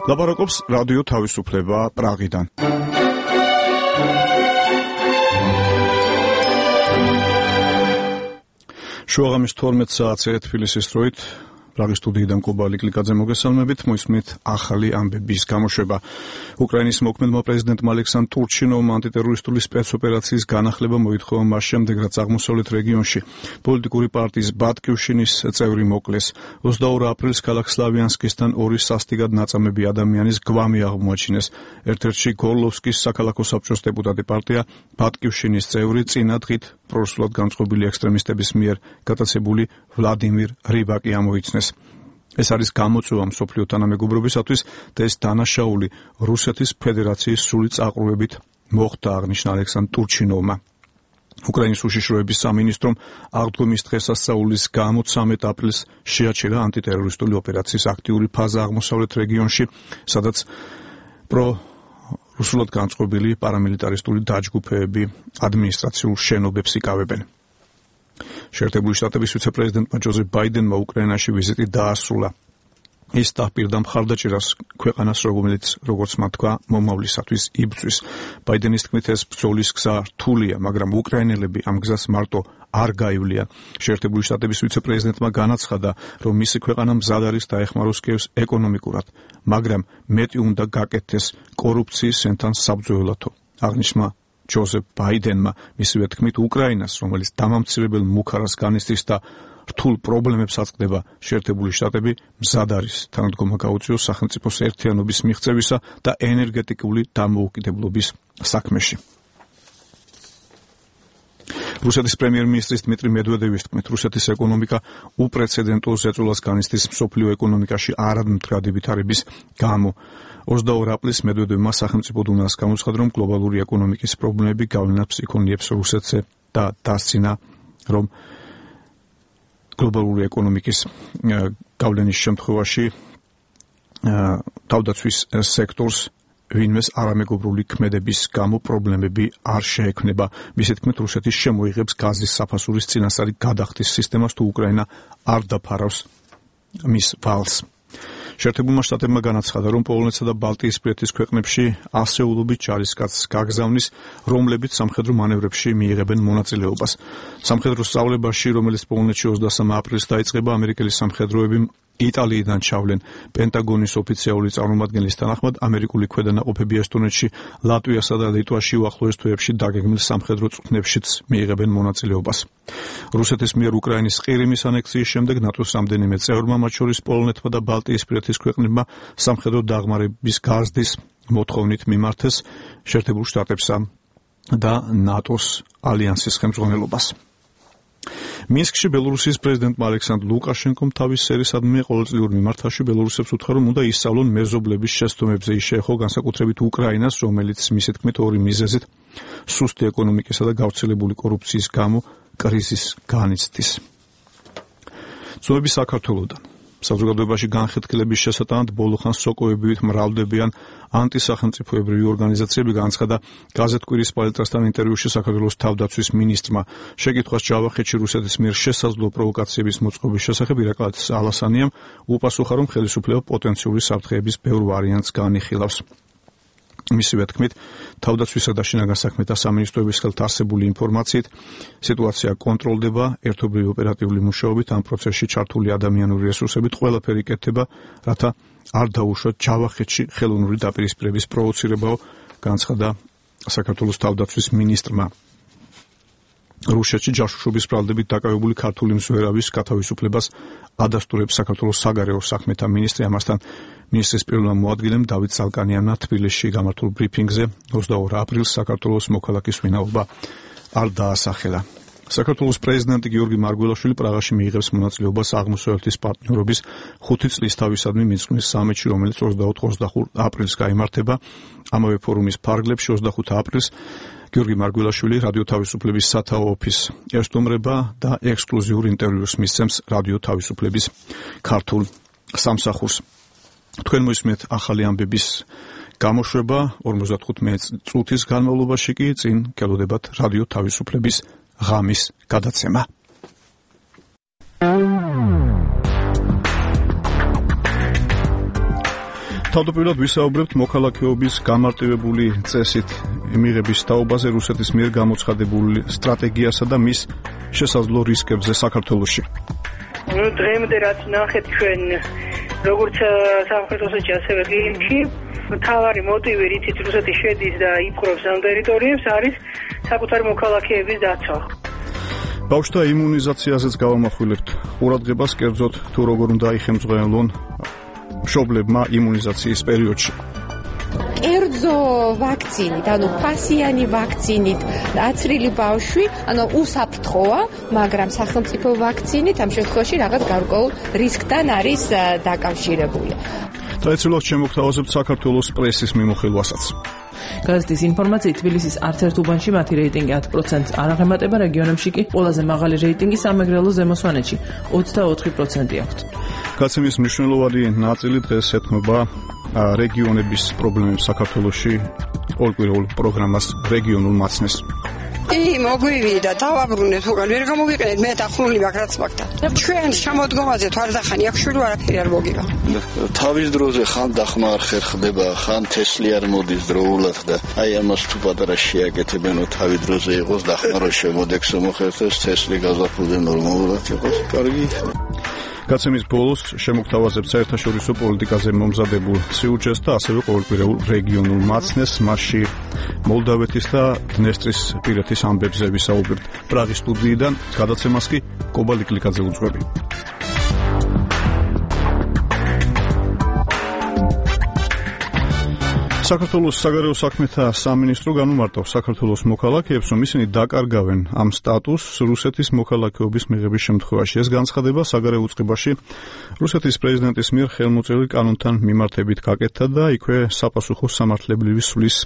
ლაპარაკობს რადიო თავისუფლება პრაღიდან. შუაღამის 12 საათზე თბილისის დროით პრაღის სტუდიიდან კუბა ლიკლიკაძე მოგესალმებით, მოისმენთ ახალი ამბების გამოშვება. უკრაინის მოქმედმა პრეზიდენტმა ალექსანდრ ტურჩინოვმა ანტიტერორისტული სპეცოპერაციის განახლება მოითხოვა მას შემდეგ, რაც აღმოსავლეთ რეგიონში პოლიტიკური პარტიის ბატკივშინის წევრი მოკლეს. 22 აპრილს ქალაქ სლავიანსკისთან ორი სასტიკად ნაწამები ადამიანის გვამი აღმოაჩინეს. ერთ-ერთში გორლოვსკის საქალაქო საბჭოს დეპუტატი პარტია ბატკივშინის წევრი წინა დღით პრორუსულად განწყობილი ექსტრემისტების მიერ გატაცებული ვლადიმირ რიბაკი ამოიცნეს. ეს არის გამოწვევა მსოფლიო თანამეგობრობისათვის და ეს დანაშაული რუსეთის ფედერაციის სრული წაყრუებით მოხდა, აღნიშნა ალექსანდრ ტურჩინოვმა. უკრაინის უშიშროების სამინისტრომ აღდგომის დღესასწაულის გამო 13 აპრილს შეაჩერა ანტიტერორისტული ოპერაციის აქტიური ფაზა აღმოსავლეთ რეგიონში, სადაც პრორუსულად განწყობილი პარამილიტარისტული დაჯგუფებები ადმინისტრაციულ შენობებს იკავებენ. შეერთებული შტატების ვიცე-პრეზიდენტმა ჯოზეფ ბაიდენმა უკრაინაში ვიზიტი დაასრულა. ის დაპირდა მხარდაჭერას ქვეყანას, როგორც მათ თქვა, მომავლისათვის იბრძვის. ბაიდენის თქმით, ეს ბრძოლის გზა რთულია, მაგრამ უკრაინელები ამ გზას მარტო არ გაივლიან. შეერთებული შტატების ვიცე-პრეზიდენტმა განაცხადა, რომ მისი ქვეყანა მზად არის დაეხმაროს კიევს ეკონომიკურად, მაგრამ მეტი უნდა გაკეთდეს კორუფციის ენთან საბრძოლველათო. აღნიშნა ჯოზეფ ბაიდენმა, მისივე თქმით, უკრაინას, რომელიც დამამცირებელ მუქარას განიცდის და რთულ პრობლემებს აწყდება, შეერთებული შტატები მზად არის თანადგომა გაუწიოს სახელმწიფოს ერთიანობის მიღწევისა და ენერგეტიკული დამოუკიდებლობის საქმეში. რუსეთის პრემიერ-მინისტრის დმიტრი მედვედევის თქმით, რუსეთის ეკონომიკა უპრეცედენტო ზეწოლას განიცდის მსოფლიო ეკონომიკაში არადმდგრადი ვითარების გამო. 22 აპრილს მედვედევმა სახელმწიფო დუმას გამოცხადა, რომ გლობალური ეკონომიკის პრობლემები გავლენას იქონიებს რუსეთზე და დასცინა, რომ გლობალური ეკონომიკის გავლენის შემთხვევაში თავდაცვის სექტორს ვინმეს არამეგობრული ქმედების გამო პრობლემები არ შეექმნება. მისი თქმით, რუსეთი შემოიღებს გაზის საფასურის წინასწარი გადახდის სისტემას, თუ უკრაინა არ დაფარავს მის ვალს. შეერთებულმა შტატებმა განაცხადა, რომ პოლონეთსა და ბალტიისპირეთის ქვეყნებში ასეულობით ჯარისკაცს გაგზავნის, რომლებიც სამხედრო მანევრებში მიიღებენ მონაწილეობას. სამხედრო სწავლებაში, რომელიც პოლონეთში 23 აპრილს დაიწყება, ამერიკელი სამხედროები იტალიიდან ჩავლენ. პენტაგონის ოფიციალური წარმომადგენლის თანახმად, ამერიკული ქვედანაყოფები ესტონეთში, ლატვიასა და ლიტვაში უახლოეს თვეებში დაგეგმილ სამხედრო წვრთნებშიც მიიღებენ მონაწილეობას. რუსეთის მიერ უკრაინის ყირიმის ანექსიის შემდეგ ნატოს რამდენიმე წევრმა, მათ შორის პოლონეთმა და ბალტიისპირეთის ქვეყნებმა სამხედრო დაღმარების გაზრდის მოთხოვნით მიმართეს შეერთებულ შტატებსა და ნატოს ალიანსის ხელმძღვანელობას. მინსკში ბელორუსიის პრეზიდენტმა ალექსანდრ ლუკაშენკომ თავის სერისადმი ყოველწლიურ მიმართვაში ბელორუსებს უთხრა, რომ უნდა ისწავლონ მეზობლების შეცდომებზე. ის შეეხო განსაკუთრებით უკრაინას, რომელიც მისი თქმით ორი მიზეზით, სუსტი ეკონომიკისა და გავრცელებული კორუფციის გამო კრიზისს განიცდის. ცნობები საქართველოდან. საზოგადოებაში განხეთქილების შესატანად ბოლო ხანს სოკოებით მრავლდებიან ანტისახელმწიფოებრივი ორგანიზაციები, განაცხადა გაზეთ კვირის პალიტრასთან ინტერვიუში საქართველოს თავდაცვის მინისტრმა. შეკითხვას ჯავახეთში რუსეთის მიერ შესაძლო პროვოკაციების მოწყობის შესახებ ირაკლი ალასანიამ უპასუხა, რომ ხელისუფლება პოტენციური საფრთხეების ბევრ ვარიანტს განიხილავს. მისივე თქმით, თავდაცვისა და შინაგან საქმეთა სამინისტროების ხელთ არსებული ინფორმაციით, სიტუაცია კონტროლდება, ერთობლივი ოპერატიული მუშაობით, ამ პროცესში ჩართული ადამიანური რესურსებით ყველაფერი იკეთება, რათა არ დაუშვათ ჯავახეთში ხელოვნური დაპირისპირების პროვოცირებაო, განაცხადა საქართველოს თავდაცვის მინისტრმა. რუსეთში ჯაშუშობის ბრალდებით დაკავებული ქართული მზვერავის გათავისუფლებას ადასტურებს საქართველოს საგარეო საქმეთა მინისტრი. ამასთან მინისტრის პირველმა მოადგილემ დავით ზალკანიანმა თბილისში გამართულ ბრიფინგზე 22 აპრილს საქართველოს მოქალაქის ვინაობა არ დაასახელა. საქართველოს პრეზიდენტი გიორგი მარგველაშვილი პრაღაში მიიღებს მონაწილეობას აღმოსავლეთის პარტნიორობის 5 წლის თავისადმი მიძღვნის სამიტში, რომელიც 24-25 აპრილს გაიმართება. ამავე ფორუმის ფარგლებში 25 აპრილს გიორგი მარგველაშვილი რადიო თავისუფლების სათაო ოფისს ესტუმრება და ექსკლუზიურ ინტერვიუს მისცემს რადიო თავისუფლების ქართულ სამსახურს. თქვენ მოისმენთ ახალი ამბების გამოშვება 55 წუთის განმავლობაში კი წინ გელოდებათ რადიო თავისუფლების ღამის გადაცემა. თავდაპირველად ვისაუბრებთ მოქალაქეობის გამარტივებული წესით მიღების თაობაზე რუსეთის მიერ გამოცხადებულ სტრატეგიასა და მის შესაძლო რისკებზე საქართველოში. დღემდე რაც ნახეთ ჩვენ როგორც სამხრეთოსეთში ასევე ყირიმში მთავარი მოტივი რითიც რუსეთი შედის და იპყრობს ამ ტერიტორიებს არის საკუთარი მოქალაქეების დაცვა. ბავშვთა იმუნიზაციაზეც გავამახვილებთ ყურადღებას კერძოდ თუ როგორ უნდა იხემძღვანელონ მშობლებმა იმუნიზაციის პერიოდში. კერძო ვაქცინით, ფასიანი ვაქცინით აცრილი ბავშვი, უსაფრთხოა, მაგრამ სახელმწიფო ვაქცინით ამ შემთხვევაში რაღაც გარკვეულ რისკთან არის დაკავშირებული. ტრადიციულად შემოგთავაზებთ საქართველოს პრესის მიმოხილვასაც. გაზეთის ინფორმაციით თბილისის არც ერთ უბანში მათი რეიტინგი 10%-ს არ აღემატება, რეგიონებში კი ყველაზე მაღალი რეიტინგი სამეგრელო ზემო სვანეთში 24% აქვთ. გაცემის მნიშვნელოვანი ნაწილი დღეს ეთმობა რეგიონების პრობლემებს საქართველოში ყოველკვირეულ პროგრამას რეგიონულ მაცნეს. მოგვივიდა დავაბრუნეთ უკან ვერ გამოვიყენეთ მე დახურული მაგ რაც მაგდა ჩვენ შემოდგომაზე თვალდახანი აქ შვილი არაფერი არ მოგივა თავის დროზე ხან დახმარ ხერხდება ხან თესლი არ მოდის დროულად და აი ამას თუ პატარა შეაკეთებენო თავის დროზე იყოს დახმარო შემოდექს მოხერხდეს თესლი გაზაფხულზე ნორმალურად იყოს კარგი გაცემის ბოლოს შემოგთავაზებთ საერთაშორისო პოლიტიკაზე მომზადებულ სიუჟეტს და ასევე ყოველკვირეულ რეგიონულ მაცნეს, მასში მოლდავეთის და დნესტრისპირეთის ამბებზე ვისაუბრებთ პრაღის სტუდიიდან, გადაცემას კი კობა ლიკლიკაძე უძღვები. საქართველოს საგარეო საქმეთა სამინისტრო განუმარტავს საქართველოს მოქალაქეებს, რომ ისინი დაკარგავენ ამ სტატუსს რუსეთის მოქალაქეობის მიღების შემთხვევაში. ეს განცხადება საგარეო უწყებაში რუსეთის პრეზიდენტის მიერ ხელმოწერილ კანონთან მიმართებით გაკეთდა და იქვე საპასუხო სამართლებრივი სვლის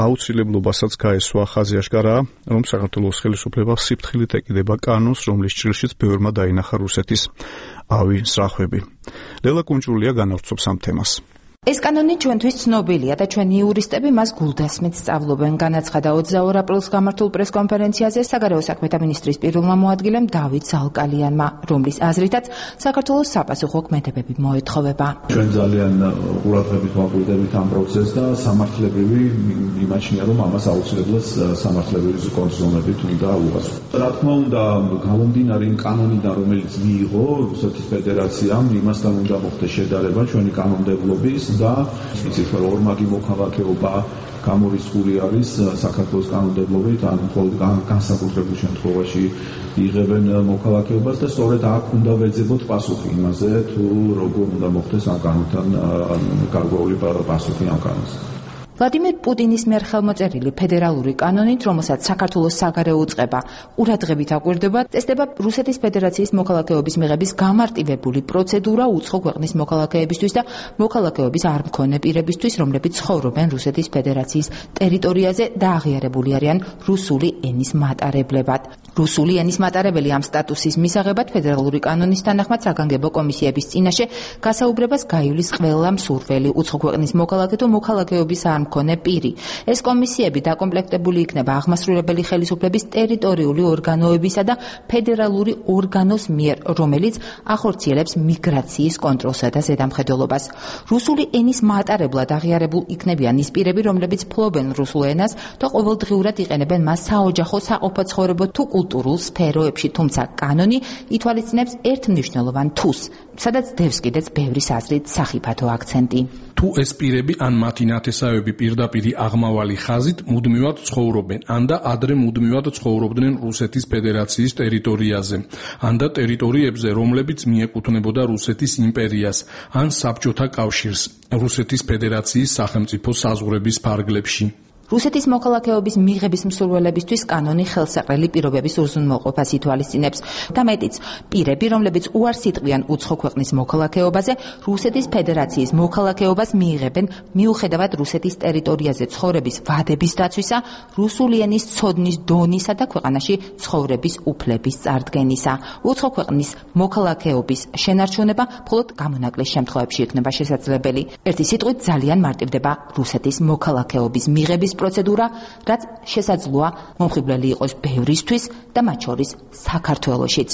აუცილებლობასაც გაესვა. ხაზი აშკარაა, რომ საქართველოს ხელისუფლება სიფრთხილით ეკიდება კანონს, რომლის ჭრილშიც ბევრმა დაინახა რუსეთის ავი სრახვები. ლელა კუნჭულია განავრცობს ამ თემას. ეს კანონი ჩვენთვის ცნობილია და ჩვენი იურისტები მას გულდასმით სწავლობენ. განაცხადა 22 აპრილს გამართულ პრესკონფერენციაზე საგარეო საქმეთა მინისტრის პირველმა მოადგილემ დავით ზალკალიანმა, რომლის აზრითაც საქართველოს საპასუხო ქმედებები მოეთხოვება. ჩვენ ძალიან ყურადღებით ვაკვირდებით ამ პროცესს და სამართლებრივი იმაჩნია, რომ ამას აუცილებლად სამართლებრივი კონტროლებით უნდა უღასო. რა თქმა უნდა, გამომდინარე იმ კანონიდან, რომელიც მიიღო რუსეთის ფედერაციამ, იმასთან უნდა მოხდეს შედარება ჩვენი კანონმდებლობის და იცით რომ ორმაგი მოქალაქეობა გამორიცხული არის საქართველოს კანონმდებლობით, ან მხოლოდ განსაკუთრებულ შემთხვევაში იღებენ მოქალაქეობას და სწორედ აქ უნდა ვეძებოთ პასუხი იმაზე, თუ როგორ უნდა მოხდეს ამ კანონთან გარკვეული პასუხი ამ კანონს. ვლადიმერ პუტინის მიერ ხელმოწერილი ფედერალური კანონით, რომელსაც საქართველოს საგარეო უწყება ყურადღებით აკვირდება, წესდება რუსეთის ფედერაციის მოქალაქეობის მიღების გამარტივებული პროცედურა უცხო ქვეყნის მოქალაქეებისთვის და მოქალაქეობის არ მქონე პირებისთვის, რომლებიც ცხოვრობენ რუსეთის ფედერაციის ტერიტორიაზე და აღიარებული არიან რუსული ენის მატარებლებად. რუსული ენის მატარებელი ამ სტატუსის მისაღებად ფედერალური კანონის თანახმად საგანგებო კომისიების წინაშე გასაუბრებას გაივლის ყველა მსურველი უცხო ქვეყნის მოქალაქე თუ მოქალაქეობის არ მქონე პირი. ეს კომისიები დაკომპლექტებული იქნება აღმასრულებელი ხელისუფლების ტერიტორიული ორგანოებისა და ფედერალური ორგანოს მიერ, რომელიც ახორციელებს მიგრაციის კონტროლსა და ზედამხედველობას. რუსული ენის მატარებლად აღიარებულ იქნებიან ის პირები, რომლებიც ფლობენ რუსულ ენას და ყოველდღიურად იყენებენ მას საოჯახო, საყოფაცხოვრებო თუ კულტურულ სფეროებში, თუმცა კანონი ითვალისწინებს ერთ მნიშვნელოვან თუს, სადაც დევს კიდეც ბევრის აზრით სახიფათო აქცენტი. თუ ეს პირები ან მათი ნათესავები პირდაპირ აღმავალი ხაზით მუდმივად ცხოვრობენ, ან და ადრე მუდმივად ცხოვრობდნენ რუსეთის ფედერაციის ტერიტორიაზე, ან და ტერიტორიებზე, რომლებიც მიეკუთვნებოდა რუსეთის იმპერიას, ან საბჭოთა კავშირს, რუსეთის ფედერაციის სახელმწიფო საზღვრების ფარგლებში. რუსეთის მოქალაქეობის მიღების მსურველებისთვის კანონი ხელსაყრელი პირობების უზრუნველყოფას ითვალისწინებს და მეტიც, პირები, რომლებიც უარს იტყვიან უცხო ქვეყნის მოქალაქეობაზე, რუსეთის ფედერაციის მოქალაქეობას მიიღებენ მიუხედავად რუსეთის ტერიტორიაზე ცხოვრების ვადების დაცვისა, რუსული ენის ცოდნის დონისა და ქვეყანაში ცხოვრების უფლების წარდგენისა. უცხო ქვეყნის მოქალაქეობის შენარჩუნება მხოლოდ გამონაკლის შემთხვევებში იქნება შესაძლებელი. ერთი სიტყვით ძალიან მარტივდება რუსეთის მოქალაქეობის მიღების გაკვეთების პროცედურა, რაც შესაძლოა მომხიბვლელი იყოს ბევრისთვის და მათ შორის საქართველოშიც.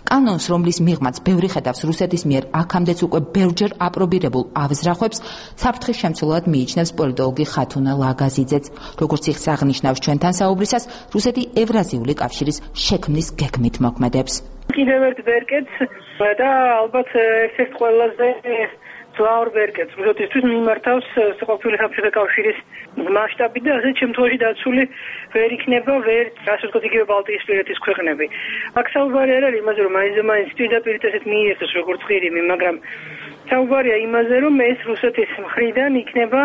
კანონს, რომლის მიღმაც ბევრი ხედავს რუსეთის მიერ აქამდეც უკვე ბევრჯერ აპრობირებულ ავზრახვებს, საფრთხის შემცველად მიიჩნევს პოლიტოლოგი ხათუნა ლაგაზიძეც. როგორც ის აღნიშნავს ჩვენთან საუბრისას, რუსეთი ევრაზიული კავშირის შექმნის გეგმით მოქმედებს. კიდევ ერთ ვერკეთს და ალბათ ერთ-ერთ ყველაზე ძველ ვერკეთს რუსეთისთვის მიმართავს ყოფილი საბჭოთა კავშირის მასშტაბი და ასეთ შემთხვევაში დაცული ვერ იქნება ასე ვთქვათ იგივე ბალტიისპირეთის ქვეყნები. აქ საუბარი არ არის იმაზე, რომ მაინც პირდაპირ ესეთ მიიღეს როგორც ღირიმი, მაგრამ საუბარია იმაზე, რომ ეს რუსეთის მხრიდან იქნება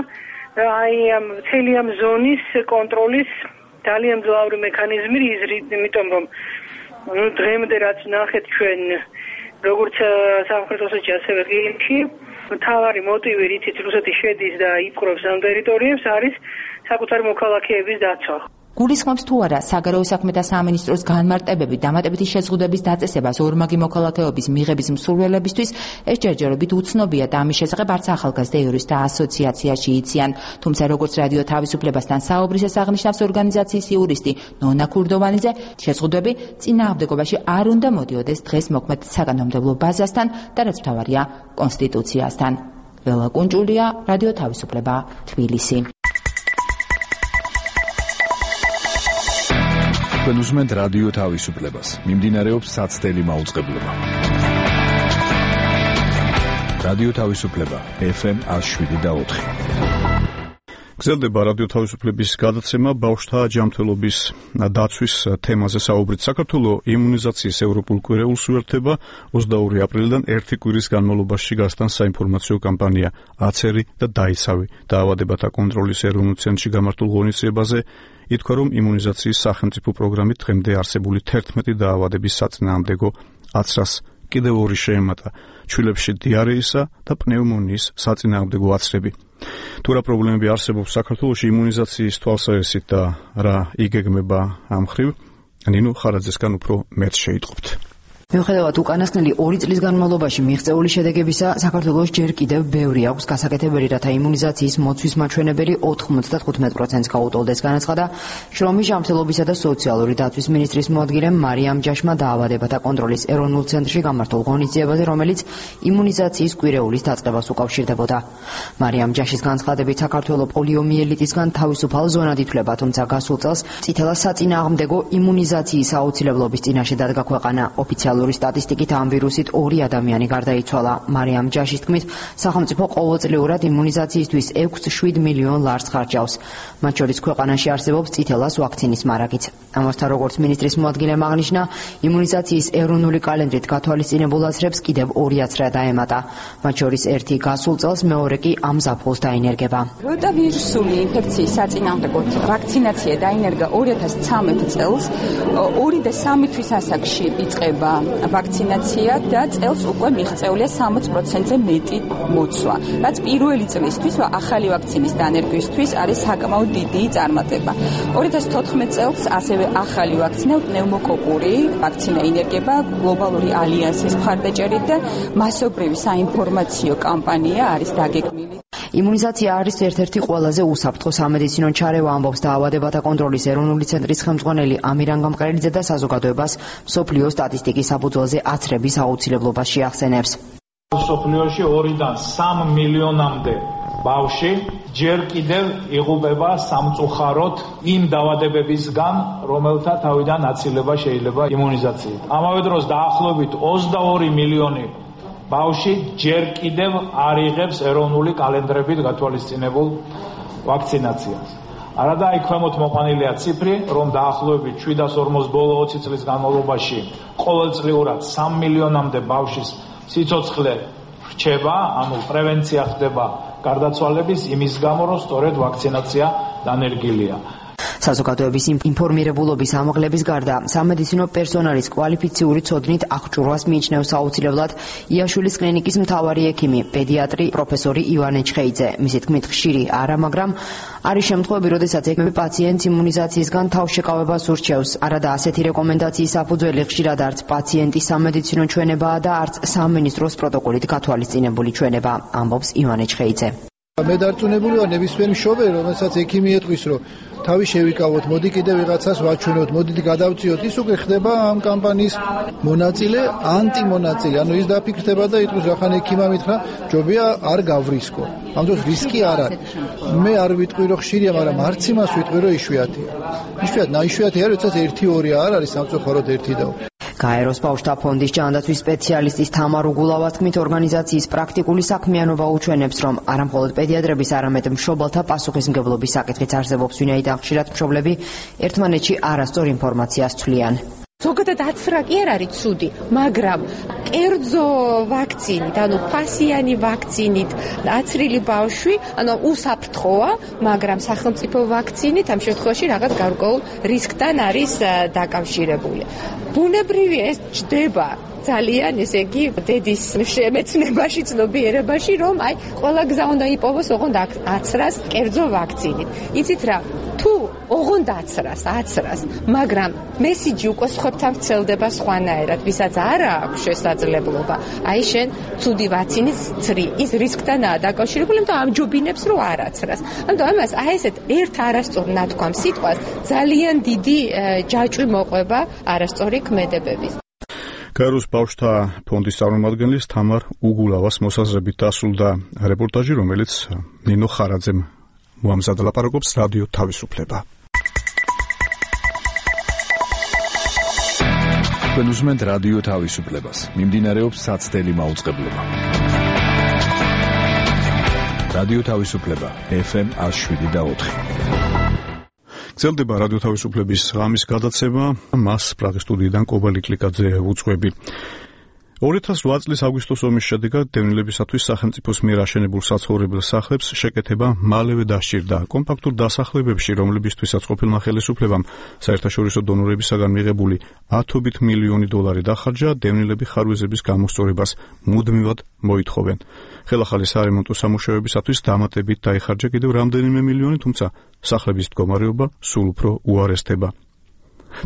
აი ამ მთელი ამ ზონის კონტროლის ძალიან მძლავრი მექანიზმი, იმიტომ რომ დღემდე რაც ნახეთ ჩვენ როგორც სამხრეთ ოსეთში, ასევე ყირიმში, მთავარი მოტივი, რითიც რუსეთი შედის და იპყრობს ამ ტერიტორიებს, არის საკუთარი მოქალაქეების დაცვა. გულისხმობს თუ არა საგარეო საქმეთა სამინისტროს განმარტებები დამატებითი შეზღუდების დაწესებას ორმაგი მოქალაქეობის მიღების მსურველებისთვის ეს ჯერჯერობით უცნობია და ამის შესახებ არც ახალგაზრდა იურისტთა ასოციაციაში იციან. თუმცა როგორც რადიო თავისუფლებასთან საუბრისას აღნიშნავს ორგანიზაციის იურისტი ნონა ქურდოვანიძე, შეზღუდვები წინააღმდეგობაში არ უნდა მოდიოდეს დღეს მოქმედ საკანონმდებლო ბაზასთან და რაც მთავარია კონსტიტუციასთან. ლელა კუნჭულია, რადიო თავისუფლება, თბილისი. თქვენ უსმენთ რადიო თავისუფლებას. მიმდინარეობს საცდელი მაუწყებლობა. რადიო თავისუფლება FM 107.4. გრძელდება რადიო თავისუფლების გადაცემა ბავშვთა ჯანმრთელობის დაცვის თემაზე საუბრით. საქართველოს იმუნიზაციის ევროპულ კვირეულს უერთდება 22 აპრილიდან 1 კვირის განმავლობაში გასტან საინფორმაციო კამპანია აცერი და დაიცავი დაავადებათა კონტროლის ეროვნულ ცენტრში გამართულ ღონისძიებაზე ითქვა, რომ იმუნიზაციის სახელმწიფო პროგრამით დღემდე არსებული 11 დაავადების საწინააღმდეგო აცრას კიდევ 2 შეემატა, ჩვილებში დიარეისა და პნევმონიის საწინააღმდეგო აცრები. თუ რა პრობლემები არსებობს საქართველოში იმუნიზაციის თვალსაზრისით და რა იგეგმება ამ მხრივ, ნინო ხარაძესგან უფრო მეტ შეიტყობთ. მიუხედავად უკანასკნელი 2 წლის განმავლობაში მიღწეული შედეგებისა, საქართველოს ჯერ კიდევ ბევრი აქვს გასაკეთებელი, რათა იმუნიზაციის მოცვის მაჩვენებელი 95%-ს გაუტოლდეს, განაცხადა შრომის, ჯანმრთელობისა და სოციალური დაცვის მინისტრის მოადგილე მარიამ ჯაშმა დაავადებათა კონტროლის ეროვნულ ცენტრში გამართულ ღონისძიებაზე, რომელიც იმუნიზაციის კვირეულის დაწყებას უკავშირდებოდა. მარიამ ჯაშის განცხადებით, საქართველოს პოლიომიელიტისგან თავისუფალ ზონად ითვლება, თუმცა გასულ წელს წითელა საწინააღმდეგო იმუნიზაციის აუცილებლობის წინაშე დადგა ქვეყანა. ოფიციალური სტატისტიკით ამ ვირუსით 2 ადამიანი გარდაიცვალა. მარიამ ჯაშის თქმით, სახელმწიფო ყოველწლიურად იმუნიზაციისთვის 6-7 მილიონ ლარს ხარჯავს. მათ შორის ქვეყანაში არსებობს წითელას ვაქცინის მარაგიც. ამასთან, როგორც მინისტრის მოადგილემ აღნიშნა, იმუნიზაციის ეროვნული კალენდრით გათვალისწინებულ აცრებს კიდევ 2 აცრა დაემატა. მათ შორის 1 გასულ წელს, მეორე კი ამ ზაფხულს დაინერგება. როტავირუსული ინფექციის საწინააღმდეგოდ ვაქცინაცია დაინერგა 2013 წელს. 2 და 3 თვის ასაკში იწყება ვაქცინაცია და წელს უკვე მიღწეულია 60%-ზე მეტი მოცვა. რაც პირველი წლისთვის ახალი ვაქცინის დანერგვისთვის არის საკმაოდ დიდი წარმატება. 2014 წელს ასევე ახალი ვაქცინა პნევმოკოკური ვაქცინა ინერგება გლობალური ალიანსის მხარდაჭერით და მასობრივი საინფორმაციო კამპანია არის დაგეგმილი. იმუნიზაცია არის ერთ-ერთი ყველაზე უსაფრთხო სამედიცინო ჩარევა, ამბობს დაავადებათა კონტროლის ეროვნული ცენტრის ხელმძღვანელი ამირან გამყრელიძე და საზოგადოებას მსოფლიო სტატისტიკის საფუძველზე აცრების აუცილებლობას შეახსენებს. მსოფლიოში 2-დან 3 მილიონამდე ბავშვი ჯერ კიდევ იღუპება სამწუხაროდ იმ დაავადებებისგან, რომელთა თავიდან აცილება შეიძლება იმუნიზაციით. ამავე დროს დაახლოებით 22 მილიონი ბავშვი ჯერ კიდევ არ იღებს ეროვნული კალენდრებით გათვალისწინებულ ვაქცინაციას. არადა აი ქვემოთ მოყვანილია ციფრი, რომ დაახლოებით 740 ბოლო 20 წლის განმავლობაში ყოველწლიურად 3 მილიონამდე ბავშვის სიცოცხლე რჩება, ანუ პრევენცია ხდება გარდაცვალების იმის გამო, რომ სწორედ ვაქცინაცია დანერგილია. საზოგადოების ინფორმირებულობის ამაღლების გარდა სამედიცინო პერსონალის კვალიფიციური ცოდნით აღჭურვას მიიჩნევს აუცილებლად იაშვილის კლინიკის მთავარი ექიმი, პედიატრი პროფესორი ივანე ჩხეიძე. მისი თქმით, ხშირი არა, მაგრამ არის შემთხვევები, როდესაც ექიმი პაციენტს იმუნიზაციისგან თავშეკავებას ურჩევს. არადა ასეთი რეკომენდაციის საფუძველი ხშირად არც პაციენტის სამედიცინო ჩვენებაა და არც სამინისტროს პროტოკოლით გათვალისწინებული ჩვენება, ამბობს ივანე ჩხეიძე. მე დარწმუნებული ვარ ნებისმიერ მშობელი, რომელსაც ექიმი ეტყვის, რომ თავი შევიკავოთ, მოდი კიდევ ვიღაცას ვაჩვენოთ, მოდით გადავწიოთ, ის უკვე ხდება ამ კამპანიის მონაწილე, ანტიმონაწილე. ანუ ის დაფიქრდება და იტყვის, რახან ექიმმა მითხრა, ჯობია არ გავრისკო. ამ დროს რისკი არ არის. მე არ ვიტყვი, რომ ხშირია, მაგრამ არც იმას ვიტყვი, რომ იშვიათია. იშვიათი არის, როდესაც 1-2 არ არის, სამწუხაროდ 1 და გაეროს ბავშვთა ფონდის ჯანდაცვის სპეციალისტის თამარ უგულავას თქმით, ორგანიზაციის პრაქტიკული საქმიანობა უჩვენებს, რომ არა მხოლოდ პედიატრების, არამედ მშობელთა პასუხისმგებლობის საკითხიც არსებობს, ვინაიდან ხშირად მშობლები ერთმანეთში არასწორ ინფორმაციას ცვლიან. ზოგადად აცრა კი არ არის ცუდი, მაგრამ კერძო ვაქცინით, ანუ ფასიანი ვაქცინით აცრილი ბავშვი, ანუ უსაფრთხოა, მაგრამ სახელმწიფო ვაქცინით ამ შემთხვევაში რაღაც გარკვეულ რისკთან არის დაკავშირებული. ბუნებრივი ეს ჯდება ძალიან, ესე იგი, დედის შემეცნებაში, ცნობიერებაში, რომ აი, ყველა გზა უნდა იპოვოს, ოღონდ აცრას კერძო ვაქცინით. იცით რა, თუ ოღონდ აცრას, მაგრამ მესიჯი უკვე სხვებთან ვრცელდება სხვანაირად, ვისაც არ აქვს შესაძლებლობა, აი შენ ცუდი ვაქცინით ცრი, ის რისკთანაა დაკავშირებული, და ამჯობინებს, რომ არ აცრას. ანუ ამას აი ესეთ ერთ არასწორ ნათქვამ სიტყვას ძალიან დიდი ჯაჭვი მოყვება არასწორი ქმედებების. გაეროს ბავშვთა ფონდის წარმომადგენლის თამარ უგულავას მოსაზრებით დასრულდა რეპორტაჟი, რომელიც ნინო ხარაძემ მოამზადა. ლაპარაკობს რადიო თავისუფლება. თქვენ უსმენთ რადიო თავისუფლებას. მიმდინარეობს საცდელი მაუწყებლობა. რადიო თავისუფლება FM 107.4. გრძელდება რადიო თავისუფლების ღამის გადაცემა, მას პრაღის სტუდიიდან კობალი კლიკაძე უძღვები. 2008 წლის აგვისტოს ომის შედეგად დევნილებისათვის სახელმწიფოს მიერ აშენებულ საცხოვრებელ სახლებს შეკეთება მალევე დასჭირდა. კომპაქტურ დასახლებებში, რომლებისთვისაც ყოფილმა ხელისუფლებამ საერთაშორისო დონორებისაგან მიღებული 10 მილიონი დოლარი დახარჯა, დევნილები ხარვეზების გამოსწორებას მუდმივად მოითხოვენ. ხელახალი სარემონტო სამუშაოებისათვის დამატებით დაიხარჯა კიდევ რამდენიმე მილიონი, თუმცა სახლების მდგომარეობა სულ უფრო უარესდება.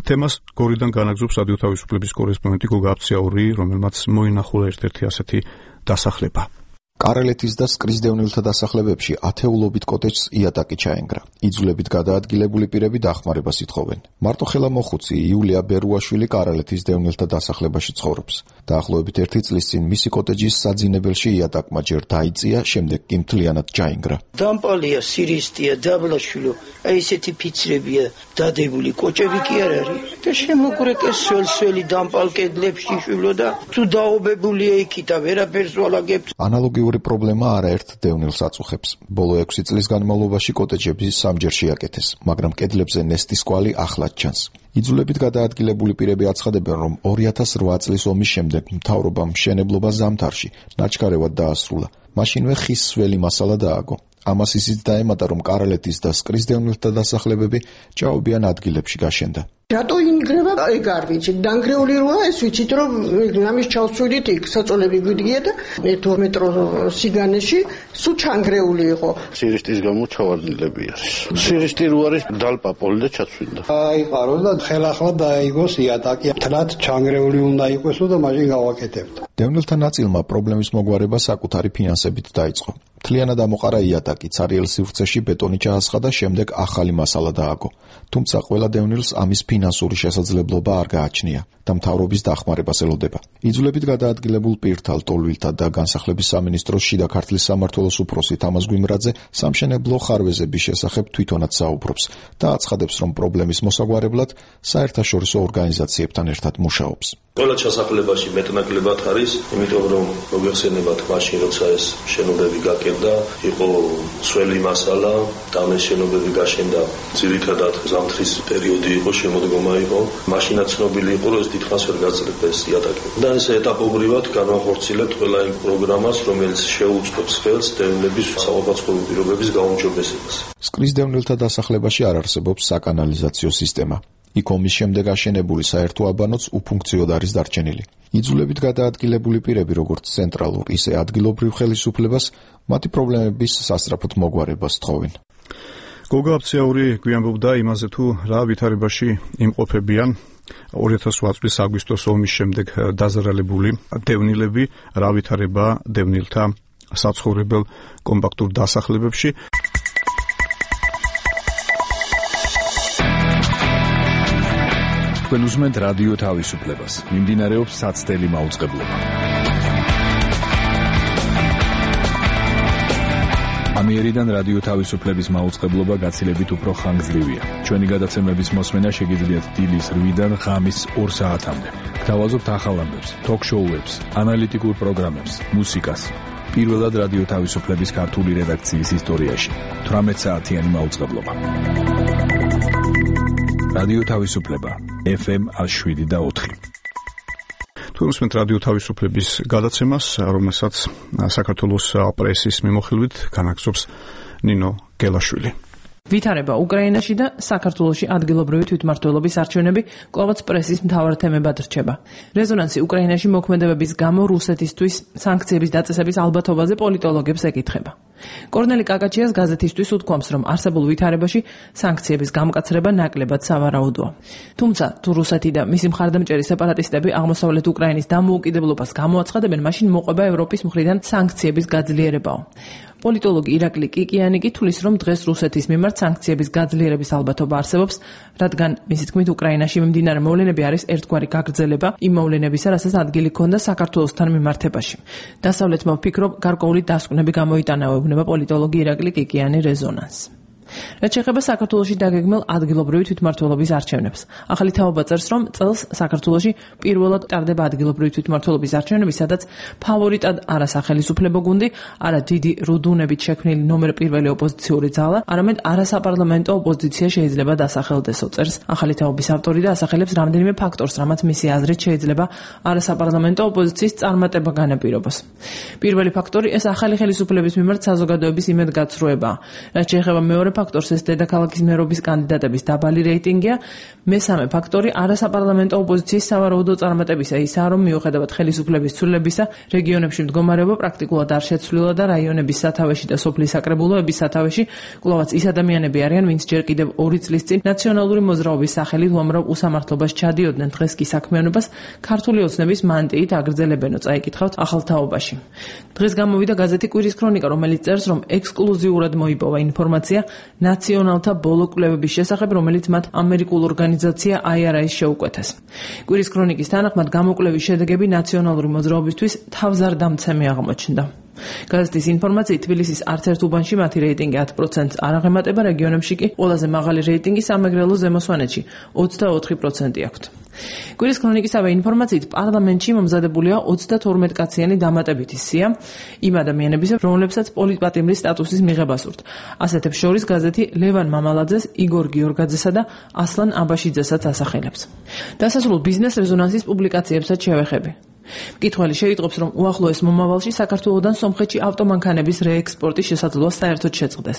თემას გორიდან განაგზობს რადიო თავისუფლების კორესპონდენტი გოგა აფციაური, რომელმაც მოინახულა ერთ-ერთი ასეთი დასახლება. კარელეთის და სკრის დევნილთა დასახლებებში ათეულობით კოტეჯს იატაკი ჩაენგრა. იძულებით გადაადგილებული პირები დახმარებას ითხოვენ. მარტო ხელა მოხუცი იულია ბერუაშვილი კარელეთის დევნილთა დასახლებაში ცხოვრობს. დაახლოებით 1 წლის წინ მისი კოტეჯის საძინებელში იატაკმა ჯერ დაიწია, შემდეგ კი მთლიანად ჩაენგრა. დამპალია, სირისტია, დაბლაშვილო, აი ესეთი ფიცრებია დადებული, კოჭები კი არ არის. და შემოგრეკეს სველი დამპალ კედლებში შვილო და თუ დაობებულია იქით, ვერაფერს ვალაგებს. ანალოგიური პრობლემა არაერთ დევნილს აწუხებს. ბოლო 6 წლის განმავლობაში კოტეჯები სამჯერ შეაკეთეს, მაგრამ კედლებზე ნესტის კვალი ახლად ჩანს. იძულებით გადაადგილებული პირები აცხადებენ, რომ 2008 წლის ომის შემდეგ მთავრობამ მშენებლობა ზამთარში ნაჩქარევად დაასრულა. მაშინვე ხის სველი მასალა დააგო. ამას ისიც დაემატა, რომ კარელეთის და სკრის დევნილთა დასახლებები ჭაობიან ადგილებში გაშენდა. რატო ინგრევა ეგ არ ვიცი, დანგრეული როა ეს ვიცით, რომ ამის ჩავსვიდით იქ საწოლები გვიდგია და 1-2 მეტრო სიგანეში სულ ჩანგრეული იყო. სირისტის გამო ჩავარდნილები არის. სირისტი რო არის დალპაპოლი და ჩაცვინდა. აიყარო და ხელახლა დაიგოს იატაკი, თლად ჩანგრეული უნდა იყოს და მაშინ გავაკეთებთ. დევნილთა ნაწილმა პრობლემის მოგვარება საკუთარი ფინანსებით დაიწყო. მთლიანად ამოყარა იატაკი, ცარიელ სივრცეში ბეტონი ჩაასხა, შემდეგ ახალი მასალა დააგო. თუმცა ყველა დევნილს ამის ფინანსური შესაძლებლობა არ გააჩნია და მთავრობის დახმარებას ელოდება. იძულებით გადაადგილებულ პირთა, ლტოლვილთა და განსახლების სამინისტროს შიდა ქართლის სამმართველოს უფროსი თამაზ გვიმრაძე სამშენებლო ხარვეზების შესახებ თვითონაც საუბრობს და აცხადებს, რომ პრობლემის მოსაგვარებლად საერთაშორისო ორგანიზაციებთან ერთად მუშაობს. ყველა ჩასახლებაში მეტნაკლებად არის, იმიტომ რომ მოგეხსენებათ მაშინ როცა ეს შენობები გაკეთდა, იყო სველი მასალა, და ამ შენობები გაშენდა ძირითადად ზამთრის პერიოდი იყო, შემოდგომა იყო. მაშინაც ცნობილი იყო, რომ ეს დიდხანს ვერ გაძლიერდა ეს იატაკი. და ეს ეტაპობრივად განვახორციელებთ ყველა იმ პროგრამას, რომელიც შეუწყობს ხელს დევნილების საყოფაცხოვრებო პირობების გაუმჯობესებას. სკრის დევნილთა დასახლებაში არ არსებობს საკანალიზაციო სისტემა. იქ ომის შემდეგ აშენებული საერთო აბანოც უფუნქციოდ არის დარჩენილი. იძულებით გადაადგილებული პირები, როგორც ცენტრალურ, ისე ადგილობრივ ხელისუფლებას, მათი პრობლემების სასწრაფოდ მოგვარებას თხოვენ. გოგა აფციაური გვიამბობდა იმაზე, თუ რა ვითარებაში იმყოფებიან 2008 წლის აგვისტოს ომის შემდეგ დაზარალებული დევნილები, რა ვითარება დევნილთა საცხოვრებელ კომპაქტურ დასახლებებში. თქვენ უსმენთ რადიო თავისუფლებას. მიმდინარეობს საცდელი მაუწყებლობა. ამიერიდან რადიო თავისუფლების მაუწყებლობა გაცილებით უფრო ხანგრძლივია. ჩვენი გადაცემების მოსმენა შეგიძლიათ დილის 8-დან ღამის 2 საათამდე. გთავაზობთ ახალ ამბებს, ток-შოუებს, ანალიტიკურ პროგრამებს, მუსიკას. პირველად რადიო თავისუფლების ქართული რედაქციის ისტორიაში 18 საათიანი მაუწყებლობა. რადიო თავისუფლება FM 107.4. თქვენ უსმენთ რადიო თავისუფლების გადაცემას, რომელსაც საქართველოს პრესის მიმოხილვით განაგრძობს ნინო გელაშვილი. ვითარება უკრაინაში და საქართველოში ადგილობრივი თვითმმართველობის არჩევნები კვლავაც პრესის მთავარ თემებად რჩება. რეზონანსი უკრაინაში მოქმედებების გამო რუსეთისთვის სანქციების დაწესების ალბათობაზე პოლიტოლოგებს ეკითხება. კორნელი კაკაჩიას გაზეთისთვის უთქვამს, რომ არსებულ ვითარებაში სანქციების გამკაცრება ნაკლებად სავარაუდოა. თუმცა, თუ რუსეთი და მისი მხარდამჭერი სეპარატისტები აღმოსავლეთ უკრაინის დამოუკიდებლობას გამოაცხადებენ, მაშინ მოყვება ევროპის მხრიდან სანქციების გაძლიერებაო. პოლიტოლოგი ირაკლი კიკიანი კი თulis, რომ დღეს რუსეთის მიმართ სანქციების გაძლიერების ალბათობა არსებობს, რადგან მისი თქმით უკრაინაში მიმდინარე მოვლენები არის ერთგვარი გაგრძელება იმ მოვლენებისა, რასაც ადგილი ჰქონდა საქართველოსთან მიმართებაში. დასავლეთმა ვფიქრობ, გარკვეული დასკვნები გამოიტანაებუნება პოლიტოლოგი ირაკლი კიკიანი რეზონანსს. რაც შეეხება საქართველოში დაგეგმილ ადგილობრივი თვითმმართველობის არჩევნებს. ახალი თაობა წერს, რომ წელს საქართველოში პირველად ტარდება ადგილობრივი თვითმმართველობის არჩევნები, სადაც ფავორიტად არა სახელმწიფო გუნდი, არა დიდი რუდუნებით შექმნილი ნომერ პირველი ოპოზიციური ძალა, არამედ არასაპარლამენტო ოპოზიცია შეიძლება დასახელდესო, წერს ახალი თაობის ავტორი და ასახელებს რამდენიმე ფაქტორს, რამაც მისი აზრით შეიძლება არასაპარლამენტო ოპოზიციის წარმატება განაპირობოს. პირველი ფაქტორი ეს ახალი ხელისუფლების მიმართ საზოგადოების იმედგაცრუებაა. რაც შეეხება მეორე ფაქტორს ეს დედაქალაქის მერობის კანდიდატების დაბალი რეიტინგია. მესამე ფაქტორი არასაპარლამენტო ოპოზიციის სავარაუდო წარმატებისა ისაა, რომ მიუხედავად ხელისუფლების ცვლილებისა, რეგიონებში მდგომარეობა პრაქტიკულად არ შეცვლილა და რაიონების სათავეში და სოფლის საკრებულოების სათავეში კვლავაც ის ადამიანები არიან, ვინც ჯერ კიდევ 2 წლის წინ ნაციონალური მოძრაობის სახელით უამრავ უსამართლობაში ჩადიოდნენ. დღეს კი საქმიანობას ქართული ოცნების მანტიით აგრძელებენო, წაიკითხავთ ახალ თაობაში. დღეს გამოვიდა გაზეთი კვირის ქრონიკა, რომელიც წერს, რომ ექსკლუზიურად მოიპოვა ინფორმაცია ნაციონალთა ბოლო კვლევების შესახებ, რომელიც მათ ამერიკულ ორგანიზაცია IRA-ს შეუკვეთეს. კვირის ქრონიკის თანახმად გამოკვლევის შედეგები ნაციონალური მოძრაობისთვის თავზარდამცემი აღმოჩნდა. გაზეთის ინფორმაციით თბილისის არც ერთ უბანში მათი რეიტინგი 10%-ს არ აღემატება, რეგიონებში კი ყველაზე მაღალი რეიტინგი სამეგრელო ზემო სვანეთში 24% აქვთ. კვირის ქრონიკისავე ინფორმაციით პარლამენტში მომზადებულია 32 კაციანი დამატებითი სია იმ ადამიანებისა, რომლებსაც პოლიტპატიმრის სტატუსის მიღება სურთ. ასეთებს შორის გაზეთი ლევან მამალაძეს, იგორ გიორგაძესა და ასლან აბაშიძესაც ასახელებს. დასასრულ ბიზნეს რეზონანსის პუბლიკაციებსაც შევეხები. მკითხველი შეიტყობს, რომ უახლოეს მომავალში საქართველოდან სომხეთში ავტომანქანების რეექსპორტის შესაძლოა საერთოდ შეწყდეს.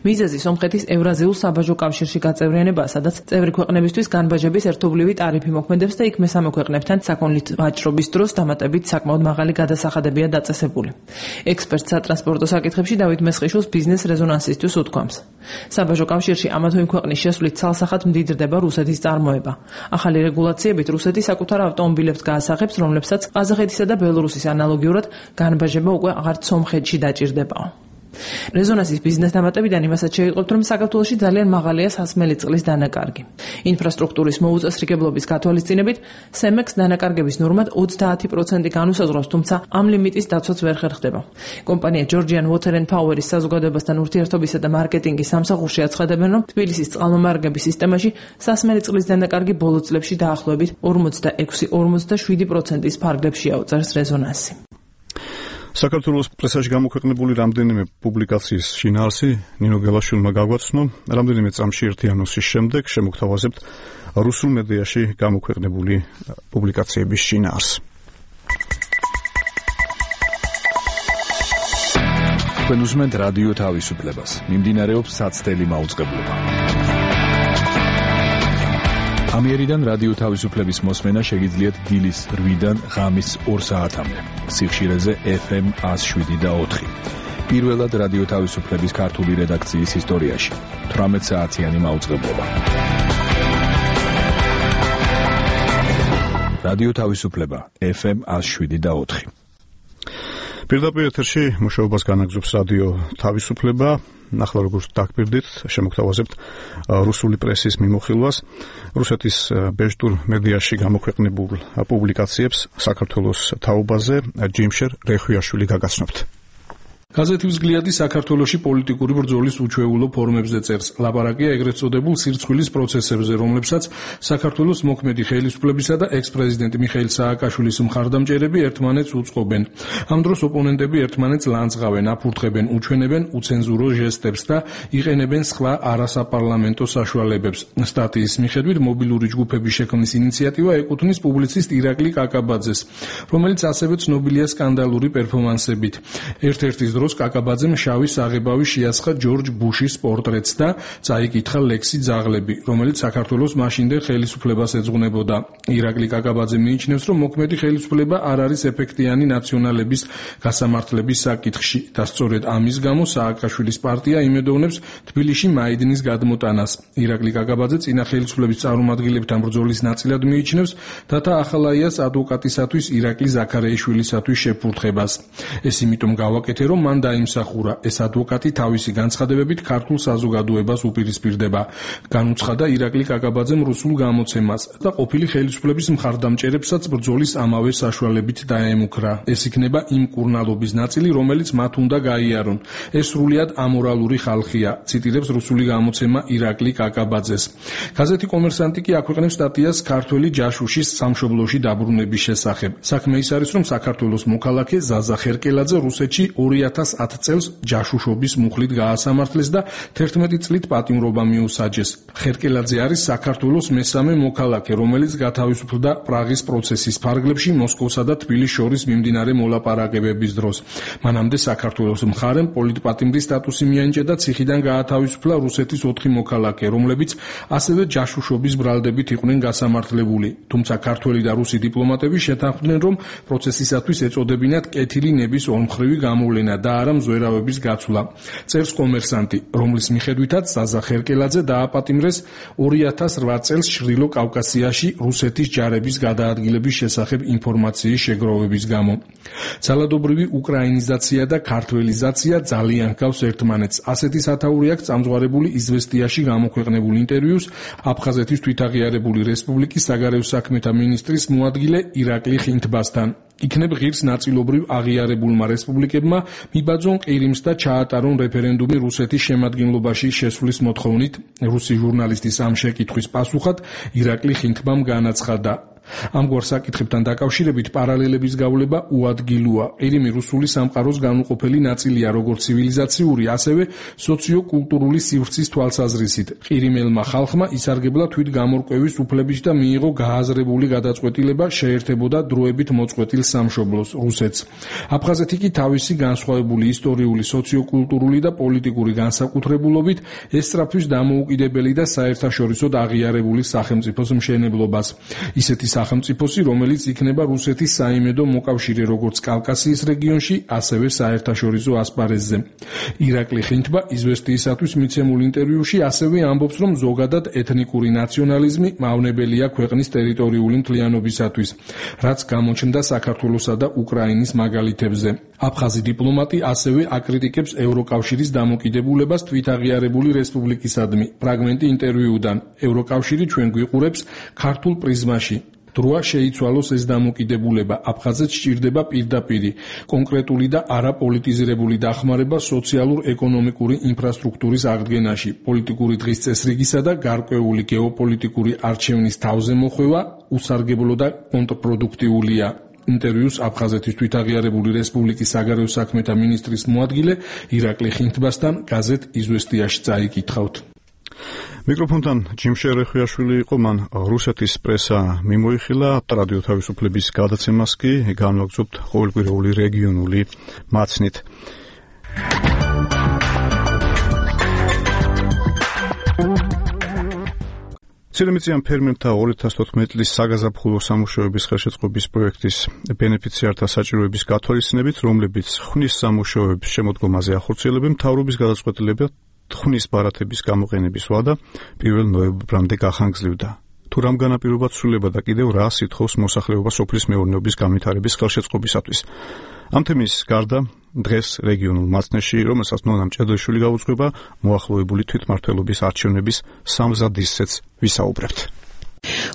მიზეზი სომხეთის ევრაზიულ საბაჟო კავშირში გაწევრიანებაა, სადაც წევრი ქვეყნებისთვის განბაჟების ერთობლივი ტარიფი მოქმედებს და იქ მესამე ქვეყნებთან საქონლით ვაჭრობის დროს დამატებით საკმაოდ მაღალი გადასახადებია დაწესებული. ექსპერტ სატრანსპორტო საკითხებში დავით მესხიშვილს ბიზნეს რეზონანსისთვის უთქვამს. საბაჟო კავშირში ამა თუ იმ ქვეყნის შესვლით ცალსახად მდიდრდება რუსეთის წარმოება. ახალი რეგულაციებით რუსეთი საკუთარ ავტომობილებს გაასახებს, რომლებსაც ყაზახეთისა და ბელორუსის ანალოგიურად განბაჟება უკვე აღარც სომხეთში დაჭირდებაო. რეზონანსის ბიზნეს დამატებიდან იმასაც შეიტყობთ, რომ საქართველოში ძალიან მაღალია სასმელი წყლის დანაკარგი. ინფრასტრუქტურის მოუწესრიგებლობის გათვალისწინებით, სემექს დანაკარგების ნორმად 30% განუსაზღვრავს, თუმცა ამ ლიმიტის დაცვაც ვერ ხერხდება. კომპანია Georgian Water and Power-ის საზოგადოებასთან ურთიერთობისა და მარკეტინგის სამსახურში აცხადებენ, რომ თბილისის წყალმომარაგების სისტემაში სასმელი წყლის დანაკარგი ბოლო წლებში დაახლოებით 46-47%-ის ფარგლებში აუწევს რეზონანსი. საქართველოს პრესაში გამოქვეყნებული რამდენიმე პუბლიკაციის შინაარსი ნინო გელაშვილმა გაგვაცნო. რამდენიმე წამში ერთი ანონსის შემდეგ შემოგთავაზებთ რუსულ მედიაში გამოქვეყნებული პუბლიკაციების შინაარსს. თქვენ უსმენთ რადიო თავისუფლებას. მიმდინარეობს საცდელი მაუწყებლობა. ამიერიდან რადიო თავისუფლების მოსმენა შეგიძლიათ დილის 8-დან ღამის 2 საათამდე. სიხშირეზე FM 107.4. პირველად რადიო თავისუფლების ქართული რედაქციის ისტორიაში 18 საათიანი მაუწყებლობა. რადიო თავისუფლება FM 107.4. პირდაპირ ეთერში მუშაობას განაგრძობს რადიო თავისუფლება. ნახლა როგორც დაგპირდით, შემოგთავაზებთ რუსული პრესის მიმოხილვას, რუსეთის ბეჟდურ მედიაში გამოქვეყნებულ პუბლიკაციებს საქართველოს თაობაზე ჯიმშერ რეხვიაშვილი გაგაცნობთ. გაზეთი „ვსგლიადი“ საქართველოში პოლიტიკური ბრძოლის უჩვეულო ფორმებზე წერს. ლაპარაკია ეგრეთ წოდებულ სირცხვილის პროცესებზე, რომლებსაც საქართველოს მოქმედი ხელისუფლებისა და ექს-პრეზიდენტ მიხეილ სააკაშვილის მხარდამჭერები ერთმანეთს უწყობენ. ამ დროს ოპონენტები ერთმანეთს ლანძღავენ, აფურთხებენ, უჩვენებენ უცენზურო ჟესტებს და იყენებენ სხვა არასაპარლამენტო საშუალებებს. სტატიის მიხედვით, მობილური ჯგუფების შექმნის ინიციატივა ეკუთვნის პუბლიციст ირაკლი კაკაბაძეს, რომელიც ასევე ცნობილია სკანდალური პერფორმანსებით. ერთ-ერთის დროს კაკაბაძემ შავი საღებავი შეასხა ჯორჯ ბუშის პორტრეტს და წაიკითხა ლექსი ძაღლები, რომელიც საქართველოს მაშინდელ ხელისუფლებას ეძღვნებოდა. ირაკლი კაკაბაძე მიიჩნევს, რომ მოქმედი ხელისუფლება არ არის ეფექტიანი ნაციონალების გასამართლების საკითხში და სწორედ ამის გამო სააკაშვილის პარტია იმედოვნებს თბილისში მაიდინის გადმოტანას. ირაკლი კაკაბაძე წინა ხელისუფლების წარმომადგენლებთან ბრძოლის ნაწილად მიიჩნევს დათა ახალაიას ადვოკატისათვის ირაკლი ზაქარეიშვილისათვის შეფურთხებას. ეს იმიტომ გავაკეთე, რომ მან დაიმსახურა, ეს ადვოკატი თავისი განცხადებებით ქართულ საზოგადოებას უპირისპირდება. განუცხადა ირაკლი კაკაბაძემ რუსულ გამოცემას და ყოფილი ხელისუფლების მხარდამჭერებსაც ბრძოლის ამავე საშუალებით დაემუქრა. ეს იქნება იმ კურნალობის ნაწილი, რომელიც მათ უნდა გაიარონ. ეს სრულიად ამორალური ხალხია, ციტირებს რუსული გამოცემა ირაკლი კაკაბაძეს. გაზეთი „კომერსანტი“ კი აქვეყნებს სტატიას ქართველი ჯაშუშის სამშობლოში დაბრუნების შესახებ. საქმე ის არის, რომ საქართველოს მოქალაქე ზაზა ხერკელაძე რუსეთში 2010 წელს ჯაშუშობის მუხლით გაასამართლეს და 11 წლით პატიმრობა მიუსაჯეს. ხერკელაძე არის საქართველოს მესამე მოქალაქე, რომელიც გათავისუფლდა პრაღის პროცესის ფარგლებში მოსკოვსა და თბილისს შორის მიმდინარე მოლაპარაკებების დროს. მანამდე საქართველოს მხარემ პოლიტპატიმრის სტატუსი მიენიჭა და ციხიდან გაათავისუფლა რუსეთის 4 მოქალაქე, რომლებიც ასევე ჯაშუშობის ბრალდებით იყვნენ გასამართლებული. თუმცა ქართველი და რუსი დიპლომატები შეთანხმდნენ, რომ პროცესისათვის ეწოდებინათ კეთილი ნების ორმხრივი გამოვლენა და არა მზვერავების გაცვლა. წერს „კომერსანტი“, რომლის მიხედვითაც ზაზა ხერკელაძე დააპატიმრეს 2008 წელს ჩრდილო კავკასიაში რუსეთის ჯარების გადაადგილების შესახებ ინფორმაციის შეგროვების გამო. ძალადობრივი უკრაინიზაცია და ქართველიზაცია ძალიან ჰგავს ერთმანეთს. ასეთი სათაური აქვს წამძღვარებული „იზვესტიაში“ გამოქვეყნებულ ინტერვიუს აფხაზეთის თვითაღიარებული რესპუბლიკის საგარეო საქმეთა მინისტრის მოადგილე ირაკლი ხინთბასთან. იქნებ ღირს ნაწილობრივ აღიარებულმა რესპუბლიკებმა მიბაძონ ყირიმს და ჩაატარონ რეფერენდუმი რუსეთის შემადგენლობაში შესვლის მოთხოვნით. რუსი ჟურნალისტის ამ შეკითხვის პასუხად ირაკლი ხინთბამ განაცხადა: ამგვარ საკითხებთან დაკავშირებით პარალელების გავლება უადგილოა. ყირიმი რუსული სამყაროს განუყოფელი ნაწილია, როგორც ცივილიზაციური, ასევე სოციო-კულტურული სივრცის თვალსაზრისით. ყირიმელმა ხალხმა ისარგებლა თვითგამორკვევის უფლებით და მიიღო გააზრებული გადაწყვეტილება შეერთებოდა დროებით მოწყვეტილ სამშობლოს რუსეთს. აფხაზეთი კი თავისი განსხვავებული ისტორიული, სოციო-კულტურული და პოლიტიკური განსაკუთრებულობით ესწრაფვის დამოუკიდებელი და საერთაშორისოდ აღიარებული სახელმწიფოს მშენებლობას. ისეთი სახელმწიფოსი, რომელიც იქნება რუსეთის საიმედო მოკავშირე როგორც კავკასიის რეგიონში, ასევე საერთაშორისო ასპარეზზე. ირაკლი ხინთბა იზვესტიისათვის მიცემულ ინტერვიუში ასევე ამბობს, რომ ზოგადად ეთნიკური ნაციონალიზმი მავნებელია ქვეყნის ტერიტორიული მთლიანობისათვის, რაც გამოჩნდა საქართველოსა და უკრაინის მაგალითებზე. აფხაზი დიპლომატი ასევე აკრიტიკებს ევროკავშირის დამოკიდებულებას თვითაღიარებული რესპუბლიკისადმი. ფრაგმენტი ინტერვიუდან. ევროკავშირი ჩვენ გვიყურებს ქართულ პრიზმაში. დროა შეიცვალოს ეს დამოკიდებულება. აფხაზეთს სჭირდება პირდაპირი, კონკრეტული და არაპოლიტიზირებული დახმარება სოციალურ-ეკონომიკური ინფრასტრუქტურის აღდგენაში, პოლიტიკური დღის წესრიგისა და გარკვეული გეოპოლიტიკური არჩევნის თავზე მოხვევა უსარგებლო და კონტრპროდუქტიულია. ინტერვიუს აფხაზეთის თვითაღიარებული რესპუბლიკის საგარეო საქმეთა მინისტრის მოადგილე ირაკლი ხინთბასთან გაზეთ „იზვესტიაში“ წაიკითხავთ. მიკროფონთან ჯიმშერ რეხვიაშვილი იყო, მან რუსეთის პრესა მიმოიხილა, რადიო თავისუფლების გადაცემას კი განვაგრძობთ ყოველკვირეული რეგიონული მაცნით. ცირემიწიან ფერმერთა 2014 წლის საგაზაფხულო სამუშაოების ხელშეწყობის პროექტის ბენეფიციართა საჭიროების გათვალისწინებით, რომლებიც ხნის სამუშაოების შემოდგომაზე ახორციელებენ, მთავრობის გადაწყვეტილება ხნის ბარათების გამოყენების ვადა 1 ნოემბრამდე გახანგრძლივდა. თუ რამ განაპირობად ცვლილება და კიდევ რა სითხოვს მოსახლეობა სოფლის მეურნეობის განვითარების ხელშეწყობისათვის. ამ თემის გარდა დღეს რეგიონულ მაცნეში, რომელსაც ნონა მჭედრიშვილი გაუძღვება, მოახლოებული თვითმმართველობის არჩევნების სამზადისზეც ვისაუბრებთ.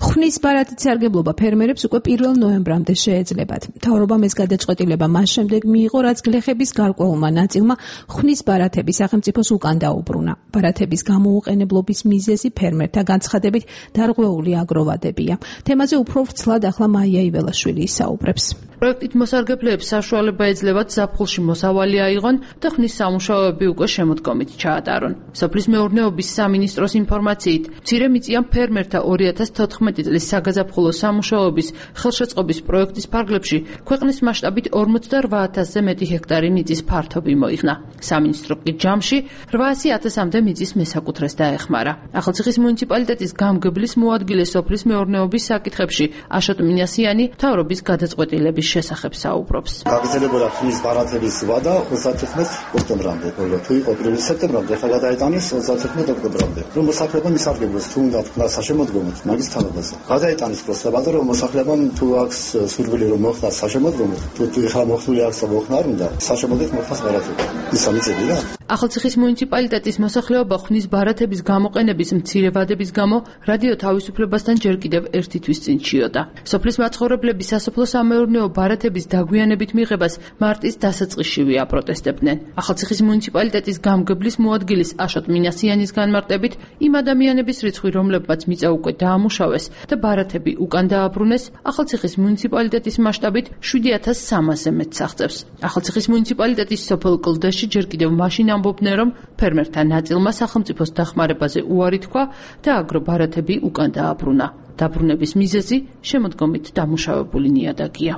ხვნის ბარათით სარგებლობა ფერმერებს უკვე 1 ნოემბრამდე შეეძლებათ. მთავრობამ ეს გადაწყვეტილება მას შემდეგ მიიღო, რაც გლეხების გარკვეულმა ნაწილმა ხვნის ბარათები სახელმწიფოს უკან დაუბრუნა. ბარათების გამოუყენებლობის მიზეზი ფერმერთა განცხადებით დარღვეული აგროვადებია. თემაზე უფრო ვრცლად ახლა მაია იველაშვილი ისაუბრებს. პროექტით მოსარგებლეებს საშუალება ეძლევათ ზაფხულში მოსავალი აიღონ და ხვნის სამუშაოები უკვე შემოდგომით ჩაატარონ. სოფლის მეურნეობის სამინისტროს ინფორმაციით, მცირე მიწიან ფერმერთა 2014 წლის საგაზაფხულო სამუშაოების ხელშეწყობის პროექტის ფარგლებში ქვეყნის მასშტაბით 48,000-ზე მეტი ჰექტარი მიწის ფართობი მოიხსნა. სამინისტრო კი ჯამში 800,000-მდე მიწის მესაკუთრეს დაეხმარა. ახალციხის მუნიციპალიტეტის გამგებლის მოადგილე სოფლის მეურნეობის საკითხებში აშოტ მინასიანი მთავრობის გადაწყვეტილების შესახებ საუბრობს. გაგრძელებოდა ხვნის ბარათების ვადა 31 ოქტომბრამდე, თუ იყო 1 სექტემბრამდე, ახლა გადაეტანეს 31 ოქტომბრამდე. რომ მოსახლეობამ ისარგებლოს თუ უნდა თქვა საშემოდგომოდ მაგის თავებაზე. გადაეტანის პროცედურა, რომ მოსახლეობამ თუ აქვს სურვილი რომ მოხდას საშემოდგომოდ, თუ ახლა მოხდული აქვს და მოხდა არ უნდა, საშემოდგომოდ მოხდას ბარათები. ის სამიწები რა. ახალციხის მუნიციპალიტეტის მოსახლეობა ხვნის ბარათების გამოყენების მცირე ვადების გამო რადიო თავისუფლებასთან ჯერ კიდევ ერთი თვის წინ ჩიოდა. სოფლის მაცხოვრებლები სასოფლო-სამეურნეო ბარათების დაგვიანებით მიღებას მარტის დასაწყისშივე აპროტესტებდნენ. ახალციხის მუნიციპალიტეტის გამგებლის მოადგილის აშოტ მინასიანის განმარტებით, იმ ადამიანების რიცხვი, რომლებმაც მიწა უკვე დაამუშავეს და ბარათები უკან დააბრუნეს, ახალციხის მუნიციპალიტეტის მასშტაბით 7,300-ზე მეტს აღწევს. ახალციხის მუნიციპალიტეტის სოფელ კლდეში ჯერ კიდევ მაშინ ამბობდნენ, რომ ფერმერთა ნაწილმა სახელმწიფოს დახმარებაზე უარი თქვა და აგრობარათები უკან დააბრუნა. დაბრუნების მიზეზი შემოდგომით დამუშავებული ნიადაგია.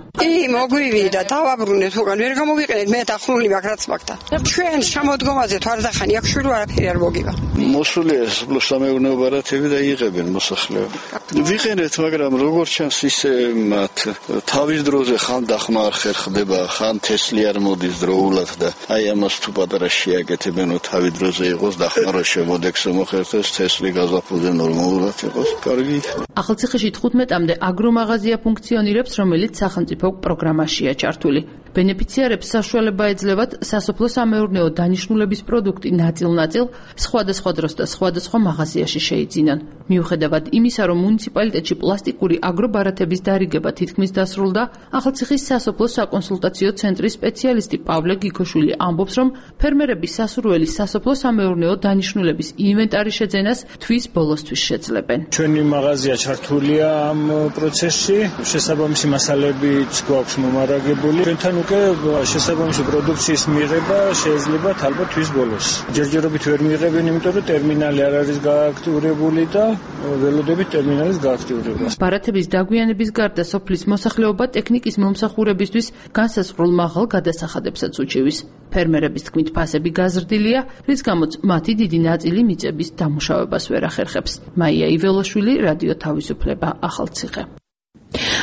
მოგვივიდა, დავაბრუნეთ უკან, ვერ გამოვიყენეთ, მე დახმული მაგ რაც მაგდა. ჩვენ შემოდგომაზე თუ არ დახანი, აქ შვილი არაფერი არ მოგივა. მოსულია სამეურნეო ბარათები და იღებენ მოსახლეობა. ვიყენეთ, მაგრამ როგორც ჩანს ისე მათ თავის დროზე ხან დახმა არ ხერხდება, ხან თესლი არ მოდის დროულად და აი ამას თუ პატარა შეაკეთებენ, თავის დროზე იყოს დახმა რა შემოდეგს მოხერხდეს, თესლი გაზაფხულზე ნორმალურად იყოს. კარგი. ახალციხეში 15-მდე აგრომაღაზია ფუნქციონირებს, რომელიც სახელმწიფო პროგრამაშია ჩართული. ბენეფიციარებს საშუალება ეძლევათ სასოფლო-სამეურნეო დანიშნულების პროდუქტი ნაწილ-ნაწილ სხვადასხვა დროს და სხვადასხვა მაღაზიაში შეიძინონ. მიუხედავად იმისა, რომ მუნიციპალიტეტში პლასტიკური აგრობარათების დარიგება თითქმის დასრულდა, ახალციხის სასოფლო საკონსულტაციო ცენტრის სპეციალისტი პავლე გიქოშვილი ამბობს, რომ ფერმერების სასურველი სასოფლო-სამეურნეო დანიშნულების ინვენტარის შეძენას თვის ბოლოსთვის შეძლებენ. ჩვენი მაღაზია ჩართულია ამ პროცესში, შესაბამისი მასალებიც გვაქვს მომარაგებული. ჩვენთან უკვე შესაბამისი პროდუქციის მიღება შეიძლება ალბათ თვის ბოლოს. ჯერჯერობით ვერ მიიღებენ, იმიტომ რომ ტერმინალი არ არის გააქტიურებული და ველოდებით ტერმინალის გააქტიურებას. ბარათების დაგვიანების გარდა სოფლის მოსახლეობა ტექნიკის მომსახურებისთვის განსაზღვრულ მაღალ გადასახადებსაც უჩივის. ფერმერების თქმით, ფასები გაზრდილია, რის გამოც მათი დიდი ნაწილი მიწების დამუშავებას ვერ ახერხებს. მაია იველაშვილი, რადიო თავისუფლება, ახალციხე.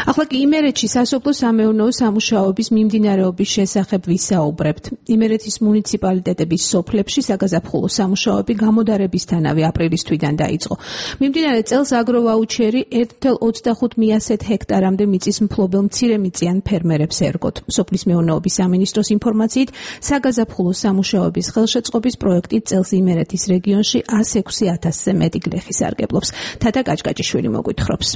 ახლა კი იმერეთში სასოფლო-სამეურნეო სამუშაოების მიმდინარეობის შესახებ ვისაუბრებთ. იმერეთის მუნიციპალიტეტების სოფლებში საგაზაფხულო სამუშაოები გამოდარებისთანავე აპრილის თვიდან დაიწყო. მიმდინარე წელს აგროვაუჩერი 1,25 ჰექტარამდე მიწის მფლობელ მცირემიწიან ფერმერებს ერგოთ. სოფლის მეურნეობის სამინისტროს ინფორმაციით, საგაზაფხულო სამუშაოების ხელშეწყობის პროექტით წელს იმერეთის რეგიონში 106,000-ზე მეტი გლეხი სარგებლობს. თათა კაჭკაჭიშვილი მოგვითხრობს.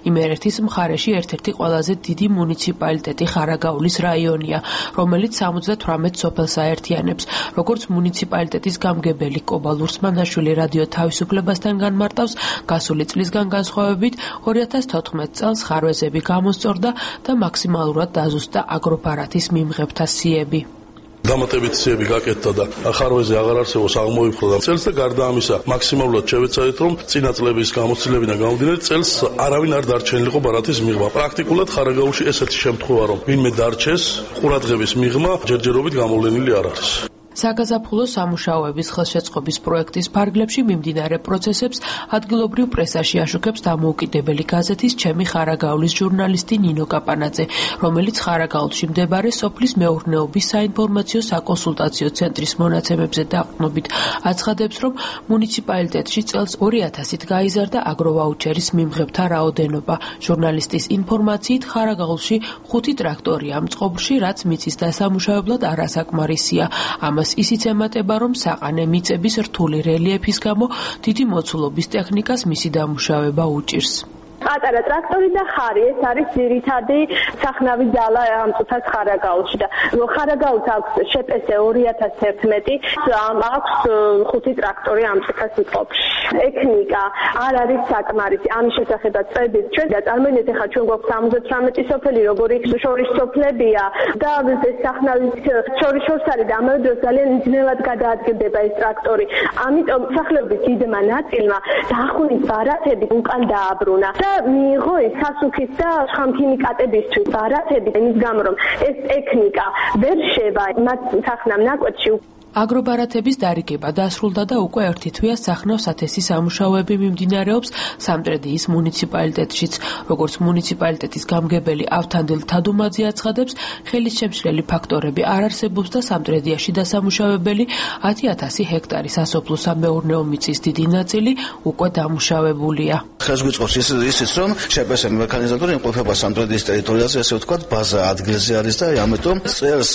იმერეთის მხარეში ერთ-ერთი ყველაზე დიდი მუნიციპალიტეტი ხარაგაულის რაიონია, რომელიც 78 სოფელს აერთიანებს. როგორც მუნიციპალიტეტის გამგებელი კობა ლურსმანაშვილი რადიო თავისუფლებასთან განმარტავს, გასული წლისგან განსხვავებით 2014 წელს ხარვეზები გამოსწორდა და მაქსიმალურად დაზუსტა აგრობარათის მიმღებთა სიები. დამატებით სიები გაკეთდა და ხარვეზე აღარ არსებობს აღმოიფხვრა წელს და გარდა ამისა მაქსიმალურად შევეცადეთ რომ წინა წლების გამოცდილებიდან გამომდინარე წელს არავინ არ დარჩენილიყო ბარათის მიღმა. პრაქტიკულად ხარაგაულში ესეთი შემთხვევა რომ ვინმე დარჩეს ყურადღების მიღმა ჯერჯერობით გამოვლენილი არ არის. საგაზაფხულო სამუშაოების ხელშეწყობის პროექტის ფარგლებში მიმდინარე პროცესებს ადგილობრივ პრესაში აშუქებს დამოუკიდებელი გაზეთის ჩემი ხარაგაულის ჟურნალისტი ნინო კაპანაძე, რომელიც ხარაგაულში მდებარე სოფლის მეურნეობის საინფორმაციო საკონსულტაციო ცენტრის მონაცემებზე დაყრდნობით აცხადებს, რომ მუნიციპალიტეტში წელს 2000-ით გაიზარდა აგროვაუჩერის მიმღებთა რაოდენობა. ჟურნალისტის ინფორმაციით ხარაგაულში 5 ტრაქტორია მწყობრში, რაც მიწის დასამუშავებლად არასაკმარისია. ამას ისიც ემატება, რომ საყანე მიწების რთული რელიეფის გამო დიდი მოცულობის ტექნიკას მისი დამუშავება უჭირს. პატარა ტრაქტორი და ხარი ეს არის ძირითადი სახნავი ძალა ამ წუთას ხარაგაულში და ხარაგაულს აქვს შეპესე 2011 აქვს 5 ტრაქტორი ამ წუთას მწყობრში. ტექნიკა არ არის საკმარისი. ამის შესახებაც წვდებით ჩვენ და წარმოიდგინეთ ახლა ჩვენ გვაქვს 78 სოფელი, როგორი შორის სოფლებია და ეს სახნავის შორის არის და ამავე დროს ძალიან ძნელად გადაადგილდება ეს ტრაქტორი. ამიტომ სახლების დიდმა ნაწილმა დახუნის ბარათები უკან დააბრუნა. მიიღო ეს სასუქის და შხამქიმიკატებისთვის ბარათები, იმის გამო რომ ეს ტექნიკა ვერ შევა მათ სახნავ ნაკვეთში. აგრობარათების დარიგება დასრულდა და უკვე ერთი თვეა სახნავ სათესი სამუშაოები მიმდინარეობს სამტრედიის მუნიციპალიტეტშიც. როგორც მუნიციპალიტეტის გამგებელი ავთანდილ თადუმაძე აცხადებს, ხელისშემშლელი ფაქტორები არ არსებობს და სამტრედიაში დასამუშავებელი 10,000 ჰექტარი სასოფლო-სამეურნეო მიწის დიდი ნაწილი უკვე დამუშავებულია. ხელს გვიწყობს ისიც, რომ შეპესე მექანიზატორი იმყოფება სამტრედიის ტერიტორიაზე, ასე ვთქვათ, ბაზა ადგილზე არის და ამიტომ წელს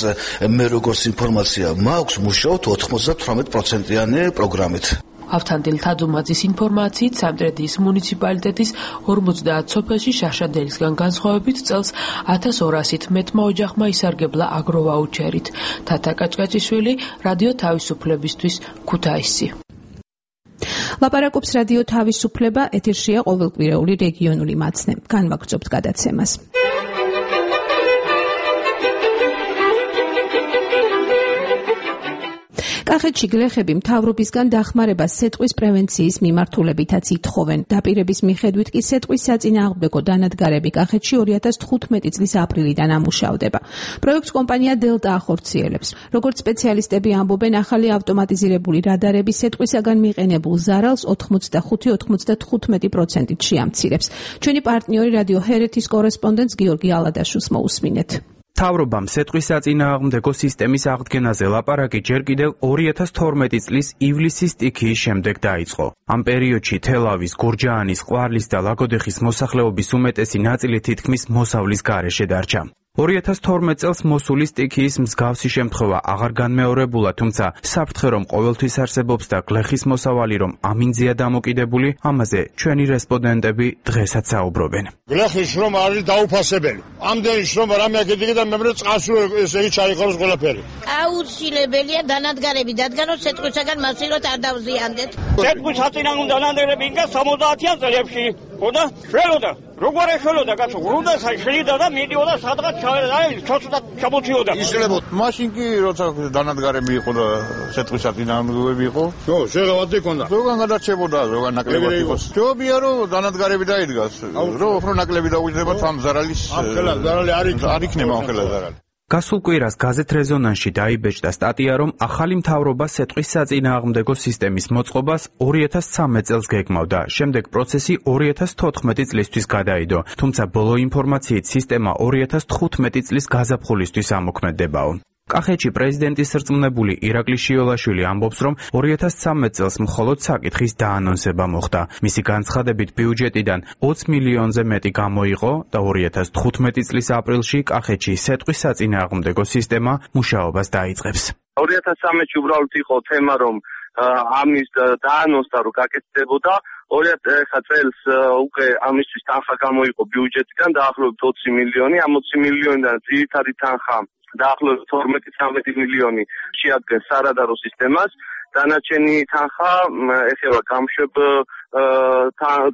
მე როგორც ინფორმაცია მაქვს 98%-იანი პროგრამით. ავთანდილ თადუმაძის ინფორმაციით სამტრედიის მუნიციპალიტეტის 50 სოფელში შაშადელისგან განსხვავებით წელს 1200-ით მეტმა ოჯახმა ისარგებლა აგროვაუჩერით. თათა კაჭკაჭიშვილი, რადიო თავისუფლებისთვის, ქუთაისი. ლაპარაკობს რადიო თავისუფლება, ეთერშია ყოველკვირეული რეგიონული მაცნე. განვაგრძობთ გადაცემას. კახეთში გლეხები მთავრობისგან დახმარებას სეტყვის პრევენციის მიმართულებითაც ითხოვენ. დაპირების მიხედვით კი სეტყვის საწინააღმდეგო დანადგარები კახეთში 2015 წლის აპრილიდან ამუშავდება. პროექტს კომპანია დელტა ახორციელებს. როგორც სპეციალისტები ამბობენ, ახალი ავტომატიზირებული რადარები სეტყვისაგან მიყენებულ ზარალს 85-95%-ით შეამცირებს. ჩვენი პარტნიორი რადიო ჰერეთის კორესპონდენტს გიორგი ალადაშვილს მოусმინეთ. მთავრობამ სეტყვის საწინააღმდეგო სისტემის აღდგენაზე ლაპარაკი ჯერ კიდევ 2012 წლის ივლისის სტიქიის შემდეგ დაიწყო. ამ პერიოდში თელავის, გურჯაანის, ყვარლის და ლაგოდეხის მოსახლეობის უმეტესი ნაწილი თითქმის მოსავლის გარეშე დარჩა. 2012 წელს მოსული სტიქიის მსგავსი შემთხვევა აღარ განმეორებულა, თუმცა საფრთხე რომ ყოველთვის არსებობს და გლეხის მოსავალი რომ ამინძია დამოკიდებული, ამაზე ჩვენი რესპონდენტები დღესაც საუბრობენ. გლეხის შრომა არის დაუფასებელი. ამდენი შრომა რამე აკეთებდა და მე წასულ ესე იგი ჩაიყაროს ყველაფერი. აუცილებელია დანადგარები დადგანოს სეტყვისაგან მასიურად არ დავზიანდეთ. სეტყვის საწინააღმდეგო დანადგარები იქნა 70-იან წლებში. ხოდა შველოდა როგორ ეშველოდა კაცო, გრუნდასა შლიდა და მიდიოდა სადღაც ჩოცდა ჩამოთიოდა. ისლებოდ მაშინ კი როცა დანადგარები იყო და სეტყვის საწინააღმდეგოები იყო. შეგავად იქონდა. ზოგან გადარჩებოდა, ზოგან ნაკლებად იყო. ჯობია რომ დანადგარები დაიდგას. რომ უფრო ნაკლები დაუჯდება ამ ზარალის. ზარალი არ იქნება ახლა ზარალი. გასულ კვირას გაზეთ რეზონანსში დაიბეჭდა სტატია, რომ ახალი მთავრობა სეტყვის საწინააღმდეგო სისტემის მოწყობას 2013 წელს გეგმავდა. შემდეგ პროცესი 2014 წლისთვის გადაიდო, თუმცა ბოლო ინფორმაციით სისტემა 2015 წლის გაზაფხულისთვის ამოქმედებაო. კახეთში პრეზიდენტის რწმუნებული ირაკლი შიოლაშვილი ამბობს, რომ 2013 წელს მხოლოდ საკითხის დაანონსება მოხდა. მისი განცხადებით ბიუჯეტიდან 20 მილიონზე მეტი გამოიყო და 2015 წლის აპრილში კახეთში სეტყვის საწინააღმდეგო სისტემა მუშაობას დაიწყებს. 2013-ში უბრალოდ იყო თემა, რომ ამის დაანონსდა, რომ გაკეთდებოდა. 2000 წელს უკვე ამისთვის თანხა გამოიყო ბიუჯეტიდან დაახლოებით 20 მილიონი, ამ 20 მილიონიდან ძირითადი თანხა დაახლოებით 12-13 მილიონი შეადგენს სარადარო სისტემას, დანარჩენი თანხა ეხება გამშვებ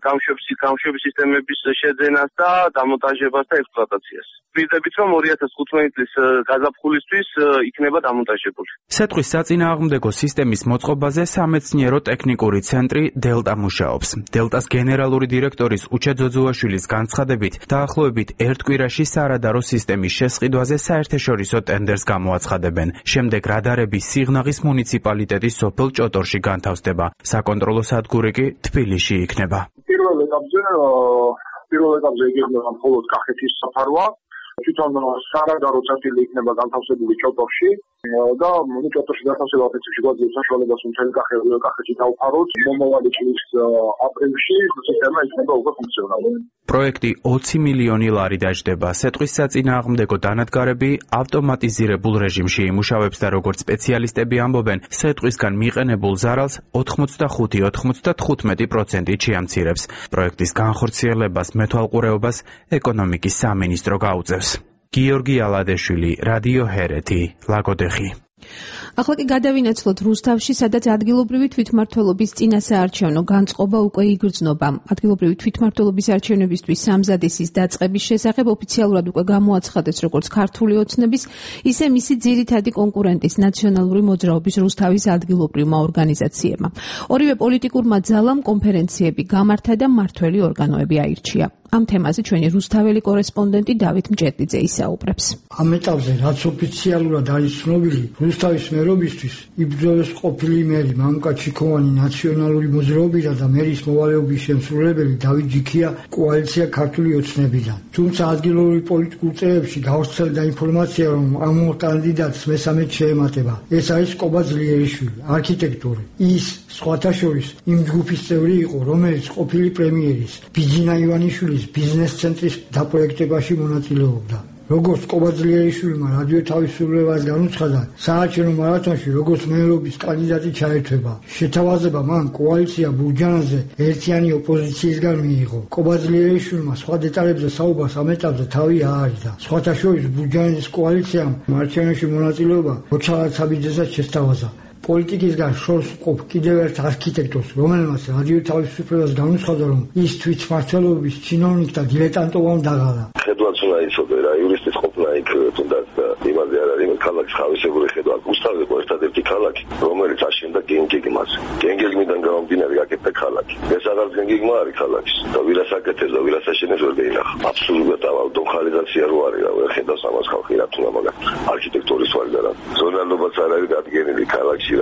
გამშვების სისტემების შეძენას და დამონტაჟებას და ექსპლუატაციას. ვიდებით რომ 2015 წლის გაზაფხულისთვის იქნება დამონტაჟებული. სეტყვის საწინააღმდეგო სისტემის მოწყობაზე სამეცნიერო ტექნიკური ცენტრი დელტა მუშაობს. დელტას გენერალური დირექტორის უჩა ძოძუაშვილის განცხადებით, დაახლოებით ერთ კვირაში სარადარო სისტემის შესყიდვაზე საერთაშორისო ტენდერს გამოაცხადებენ. შემდეგ რადარები სიღნაღის მუნიციპალიტეტის სოფელ ჭოტორში განთავსდება. საკონტროლო სადგური კი თბილისში იქნება. პირველ ეტაპზე იქნება მხოლოდ კახეთის საფარვა. თვითონ სარადარო წერტილი იქნება განთავსებული ჭოტორში და ჭოტორში განთავსება პრინციპში გვაძლევს საშუალებას მთელი კახეთი დავფაროთ. მომავალი წლის აპრილში სისტემა იქნება უკვე ფუნქციონალური. პროექტი 20 მილიონი ლარი დაჯდება. სეტყვის საწინააღმდეგო დანადგარები ავტომატიზირებულ რეჟიმში იმუშავებს და როგორც სპეციალისტები ამბობენ, სეტყვისგან მიყენებულ ზარალს 85-95% შეამცირებს. პროექტის განხორციელებას მეთვალყურეობას ეკონომიკის სამინისტრო გაუწევს. გიორგი ალადეშვილი, რადიო ჰერეთი, ლაგოდეხი. ახლა კი გადავინაცვლოთ რუსთავში, სადაც ადგილობრივი თვითმმართველობის წინასაარჩევნო განწყობა უკვე იგრძნობა. ადგილობრივი თვითმმართველობის არჩევნებისთვის სამზადისის დაწყების შესახებ ოფიციალურად უკვე გამოაცხადეს როგორც ქართული ოცნების, ისე მისი ძირითადი კონკურენტის ნაციონალური მოძრაობის რუსთავის ადგილობრივმა ორგანიზაციებმა. ორივე პოლიტიკურმა ძალამ კონფერენციები გამართა და მმართველი ორგანოები აირჩია. ამ თემაზე ჩვენი რუსთაველი კორესპონდენტი დავით მჭედლიძე ისაუბრებს. ამ ეტაპზე რაც ოფიციალურად არის ცნობილი, რუსთავის მერობისთვის იბრძოლეს ყოფილი მერი მამუკა ჩიქოვანი ნაციონალური მოძრაობიდან და მერის მოვალეობის შემსრულებელი დავით ჯიქია კოალიცია ქართული ოცნებიდან. თუმცა ადგილობრივ პოლიტიკურ წრეებში გავრცელდა ინფორმაცია, რომ ამ კანდიდატს მესამედ შეემატება. ეს არის კობა ძლიერიშვილი, არქიტექტორი. ის სხვათა შორის იმ ჯგუფის წევრი იყო, რომელიც ყოფილი პრემიერის ბიძინა ივანიშვილის ბიზნეს ცენტრის დაპროექტებაში მონაწილეობდა. როგორც კობა ძლიერიშვილმა რადიო თავისუფლებას განუცხადა, საარჩევნო მარათონში როგორც მერობის კანდიდატი ჩაერთვება. შეთავაზება მან კოალიცია ბურჯანაძე ერთიანი ოპოზიციისგან მიიღო. კობა ძლიერიშვილმა სხვა დეტალებზე საუბარს ამ ეტაპზე თავი აარიდა. სხვათა შორის ბურჯანაძის კოალიციამ არჩევნებში მონაწილეობა როჩალად საბიძესაც შესთავაზა. პოლიტიკისგან შორს მყოფ კიდევ ერთ არქიტექტორს, რომელმაც რადიო თავისუფლებას განუცხადა, რომ ის თვითმმართველობის ჩინოვნიკ და დილეტანტოვან დაღალა. ხედვაც უნდა იცოდე რა, იურისტის ყოფნა იქ თუნდაც იმაზე არ არის ქალაქის ხავისებური ხედვა. რუსთავი იყო ერთადერთი ქალაქი, რომელიც აშენდა გენგეგმას. გენგეგმიდან გამომდინარე გაკეთდა ქალაქი. ეს აღარ გენგეგმა არის ქალაქის. და ვირას აკეთებს და ვირას აშენებს ვერ გაინახა. აბსოლუტურად ავტომხალიზაცია რო არის რა, ვერ ხედავს ამას ხალხი რა თქმა უნდა. არქიტექტურის ვარი და რა. ზონალობაც არ არის დადგენილი ქალაქში.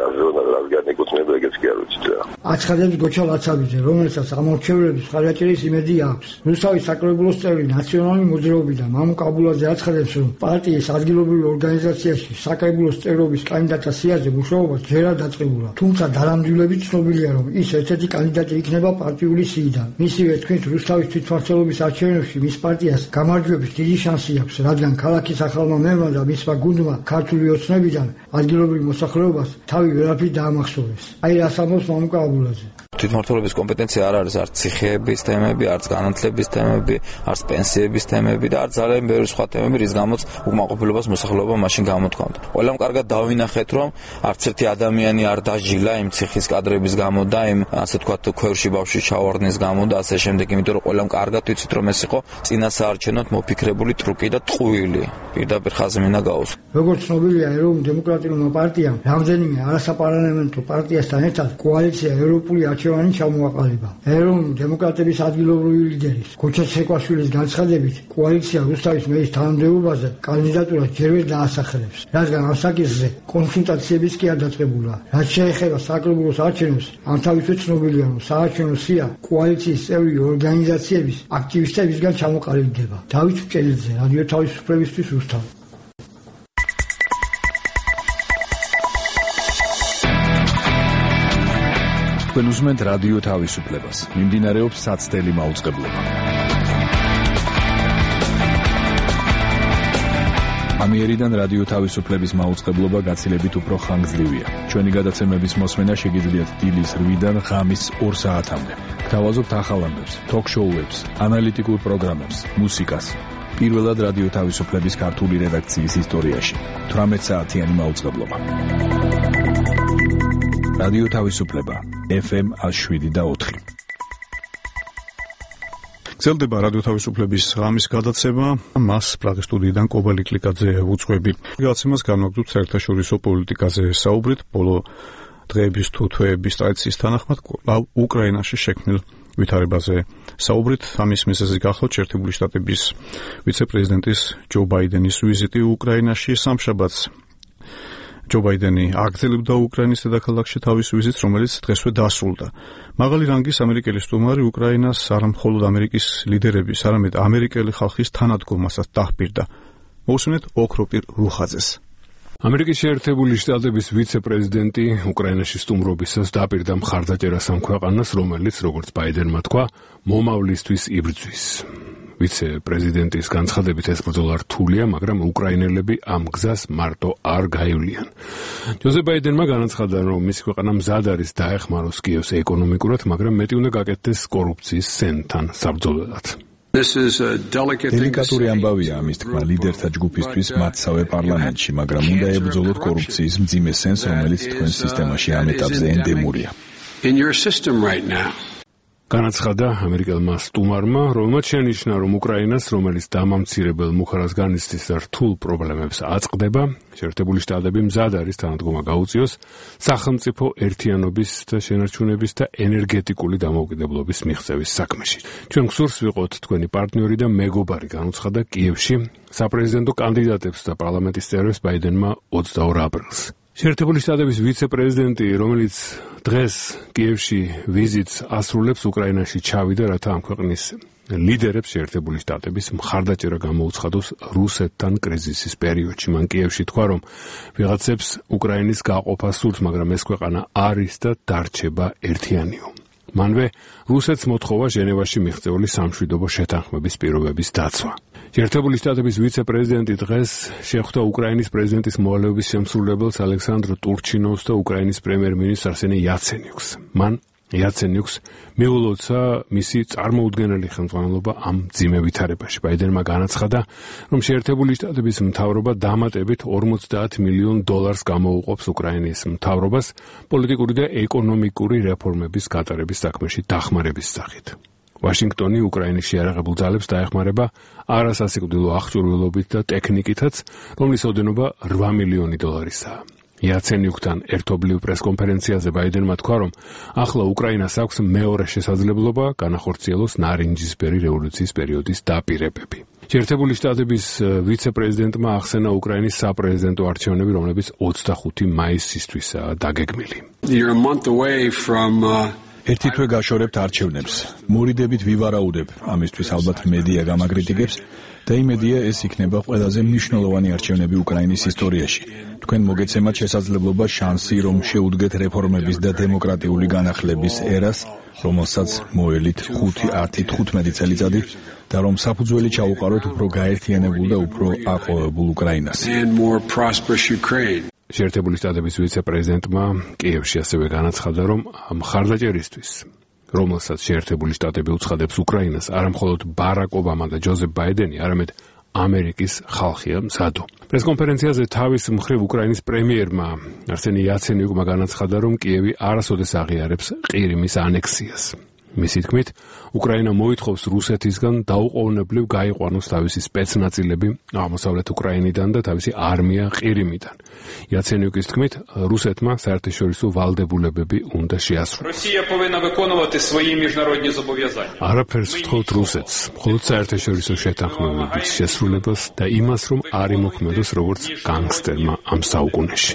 აცხადებს გოჩა ლაცაბიძე, რომელსაც ამორჩევლების ხარაჭერის იმედი აქვს. რუსთავის საკრებულოს წევრი ნაციონალური მოძრაობიდან მამუკა აბულაძე აცხადებს, რომ პარტიის ადგილობრივ ორგანიზაციაში საკრებულოს წევრობის კანდიდატთა სიაზე მუშაობა ჯერად დაწყებულა. თუმცა დანამდვილებით ცნობილია, რომ ის ერთ-ერთი კანდიდატი იქნება პარტიული სიიდან. მისივე თქმით, რუსთავის თვითმმართველობის არჩევნებში მის პარტიას გამარჯვების დიდი შანსი აქვს, რადგან ქალაქის ახალმა მერმა და მისმა გუნდმა ქართული ოცნებიდან ადგილობრივ მოსახლეობას თავი ვერაფრით დაამახსოვრეს. აი რას ამბობს მამუკა აბულაძე. თვითმმართველობის კომპეტენცია არ არის არც ციხეების თემები, არც განათლების თემები, არც პენსიების თემები და არც ძალიან ბევრი სხვა თემები, რის გამოც უკმაყოფილებას მოსახლეობა მაშინ გამოთქვამდა. ყველამ კარგად დავინახეთ, რომ არც ერთი ადამიანი არ დაჟილა იმ ციხის კადრების გამო და იმ ასე ვთქვათ ქვევრში ბავშვის ჩავარდნის გამო და ასე შემდეგ, იმიტომ რომ ყველამ კარგად ვიცით, რომ ეს იყო წინასაარჩევნოდ მოფიქრებული ტრუკი და ტყუილი. პირდაპირ ხაზი მინდა გაუსვა. როგორც ცნობილია, ეროვნულ დემოკრატიულმა პარტიამ რამდენიმე არასაპარლამენტო პარტიასთან ერთად კოალიცია ევროპული არჩევანი ჩამოაყალიბა. ეროვნული დემოკრატების ადგილობრივი ლიდერის გოჩა ცეკვაშვილის განცხადებით, კოალიცია რუსთავის მერის თანამდებობაზე კანდიდატურას ჯერ ვერ დაასახელებს, რადგან ამ საკითხზე კონსულტაციებიც კი არ დაწყებულა. რაც შეეხება საკრებულოს არჩევნებს, ამ თავისუფლად ცნობილია, რომ საარჩევნო სია კოალიციის წევრი ორგანიზაციების აქტივისტებისგან ჩამოყალიბდება. დავით მჭედლიძე, რადიო თავისუფლებისთვის რუსთავი. თქვენ უსმენთ რადიო თავისუფლებას. მიმდინარეობს საცდელი მაუწყებლობა. ამიერიდან რადიო თავისუფლების მაუწყებლობა გაცილებით უფრო ხანგრძლივია. ჩვენი გადაცემების მოსმენა შეგიძლიათ დილის 8-დან ღამის 2 საათამდე. გთავაზობთ ახალ ამბებს, ток-შოუებს, ანალიტიკურ პროგრამებს, მუსიკას. პირველად რადიო თავისუფლების ქართული რედაქციის ისტორიაში 18 საათიანი მაუწყებლობა. რადიო თავისუფლება FM 107.4 გრძელდება რადიო თავისუფლების ღამის გადაცემა, მას პრაღის სტუდიიდან კობელი კლიკაძე უძღვები. გადაცემას განვაგრძობთ საერთაშორისო პოლიტიკაზე საუბრით, ბოლო დღეების თუ თვეების ტრადიციის თანახმად უკრაინაში შექმნილ ვითარებაზე საუბრით. ამის მიზეზი გახლავთ შეერთებული შტატების ვიცე-პრეზიდენტის ჯო ბაიდენის ვიზიტი უკრაინაში. სამშაბათს ჯო ბაიდენი აგრძელებდა უკრაინის დედაქალაქში თავის ვიზიტს, რომელიც დღესვე დასრულდა. მაღალი რანგის ამერიკელი სტუმარი უკრაინას არა მხოლოდ ამერიკის ლიდერების, არამედ ამერიკელი ხალხის თანადგომასაც დაჰპირდა. მოусმინეთ ოქროპირ რუხაძეს. ამერიკის შეერთებული შტატების ვიცე-პრეზიდენტი უკრაინაში სტუმრობისას დაპირდა მხარდაჭერას ამ ქვეყანას, რომელიც, როგორც ბაიდენმა თქვა, მომავლისთვის იბრძვის. ვიცე-პრეზიდენტის განცხადებით ეს ბრძოლა რთულია, მაგრამ უკრაინელები ამ გზას მარტო არ გაივლიან. ჯოზეფ ბაიდენმა განაცხადა, რომ მისი ქვეყანა მზად არის დაეხმაროს კიევს ეკონომიკურად, მაგრამ მეტი უნდა გაკეთდეს კორუფციის სენთან საბრძოლველად. დელიკატური ამბავია ამის თქმა ლიდერთა ჯგუფისთვის მათსავე პარლამენტში, მაგრამ უნდა ებრძოლოთ კორუფციის მძიმე სენს, რომელიც თქვენს სისტემაში ამ ეტაპზე ენდემურია. განაცხადა ამერიკელმა სტუმარმა, რომელმაც შენიშნა, რომ უკრაინას, რომელიც დამამცირებელ მუხარას განიცდის და რთულ პრობლემებს აწყდება, შეერთებული შტატები მზად არის თანადგომა გაუწიოს სახელმწიფო ერთიანობის და შენარჩუნების და ენერგეტიკული დამოუკიდებლობის მიღწევის საქმეში. ჩვენ გსურს ვიყოთ თქვენი პარტნიორი და მეგობარი, განუცხადა კიევში საპრეზიდენტო კანდიდატებს და პარლამენტის წევრებს ბაიდენმა 22 აპრილს. შეერთებული შტატების ვიცე-პრეზიდენტი, რომელიც დღეს კიევში ვიზიტს ასრულებს, უკრაინაში ჩავიდა, რათა ამ ქვეყნის ლიდერებს შეერთებული შტატების მხარდაჭერა გამოუცხადოს რუსეთთან კრიზისის პერიოდში. მან კიევში თქვა, რომ ვიღაცებს უკრაინის გაყოფა სურთ, მაგრამ ეს ქვეყანა არის და დარჩება ერთიანიო. მანვე რუსეთს მოთხოვა ჟენევაში მიღწეული სამშვიდობო შეთანხმების პირობების დაცვა. შეერთებული შტატების ვიცე-პრეზიდენტი დღეს შეხვდა უკრაინის პრეზიდენტის მოვალეობის შემსრულებელს ალექსანდრ ტურჩინოვს და უკრაინის პრემიერ-მინისტრს არსენი იაცენიუკს. მან იაცენიუკს მიულოცა მისი წარმოუდგენელი ხელმძღვანელობა ამ მძიმე ვითარებაში. ბაიდენმა განაცხადა, რომ შეერთებული შტატების მთავრობა დამატებით $50 მილიონ გამოუყოფს უკრაინის მთავრობას პოლიტიკური და ეკონომიკური რეფორმების გატარების საქმეში დახმარების სახით. ვაშინგტონი უკრაინის შეიარაღებულ ძალებს დაეხმარება არასასიკვდილო აღჭურვილობით და ტექნიკითაც, რომლის ოდენობა $8 მილიონი. იაცენიუკთან ერთობლივ პრესკონფერენციაზე ბაიდენმა თქვა, რომ ახლა უკრაინას აქვს მეორე შესაძლებლობა განახორციელოს ნარინჯისფერი რევოლუციის პერიოდის დაპირებები. შეერთებული შტატების ვიცე-პრეზიდენტმა ახსენა უკრაინის საპრეზიდენტო არჩევნები, რომლებიც 25 მაისისთვისაა დაგეგმილი. ერთი თვე გაშორებთ არჩევნებს. მორიდებით ვივარაუდებ, ამისთვის ალბათ მედია გამაკრიტიკებს და იმედია ეს იქნება ყველაზე მნიშვნელოვანი არჩევნები უკრაინის ისტორიაში. თქვენ მოგეცემათ შესაძლებლობა შანსი, რომ შეუდგეთ რეფორმების და დემოკრატიული განახლების ერას, რომელსაც მოელით 5-15 წელიწადი და რომ საფუძველი ჩაუყაროთ უფრო გაერთიანებულ და უფრო აყვავებულ უკრაინას. შეერთებული შტატების ვიცე-პრეზიდენტმა კიევში ასევე განაცხადა, რომ მხარდაჭერისთვის, რომელსაც შეერთებული შტატები უცხადებს უკრაინას, არა მხოლოდ ბარაკ ობამა და ჯოზეფ ბაიდენი, არამედ ამერიკის ხალხია მზადო. პრესკონფერენციაზე თავის მხრივ უკრაინის პრემიერმა არსენი იაცენიუკმა განაცხადა, რომ კიევი არასოდეს აღიარებს ყირიმის ანექსიას. მისი თქმით, უკრაინა მოითხოვს რუსეთისგან დაუყოვნებლივ გაიყვანოს თავისი სპეცნაწილები აღმოსავლეთ უკრაინიდან და თავისი არმია ყირიმიდან. იაცენიუკის თქმით, რუსეთმა საერთაშორისო ვალდებულებები უნდა შეასრულოს. არაფერს ვთხოვთ რუსეთს, მხოლოდ საერთაშორისო შეთანხმებების შესრულებას და იმას, რომ არ იმოქმედოს როგორც განგსტერმა ამ საუკუნეში.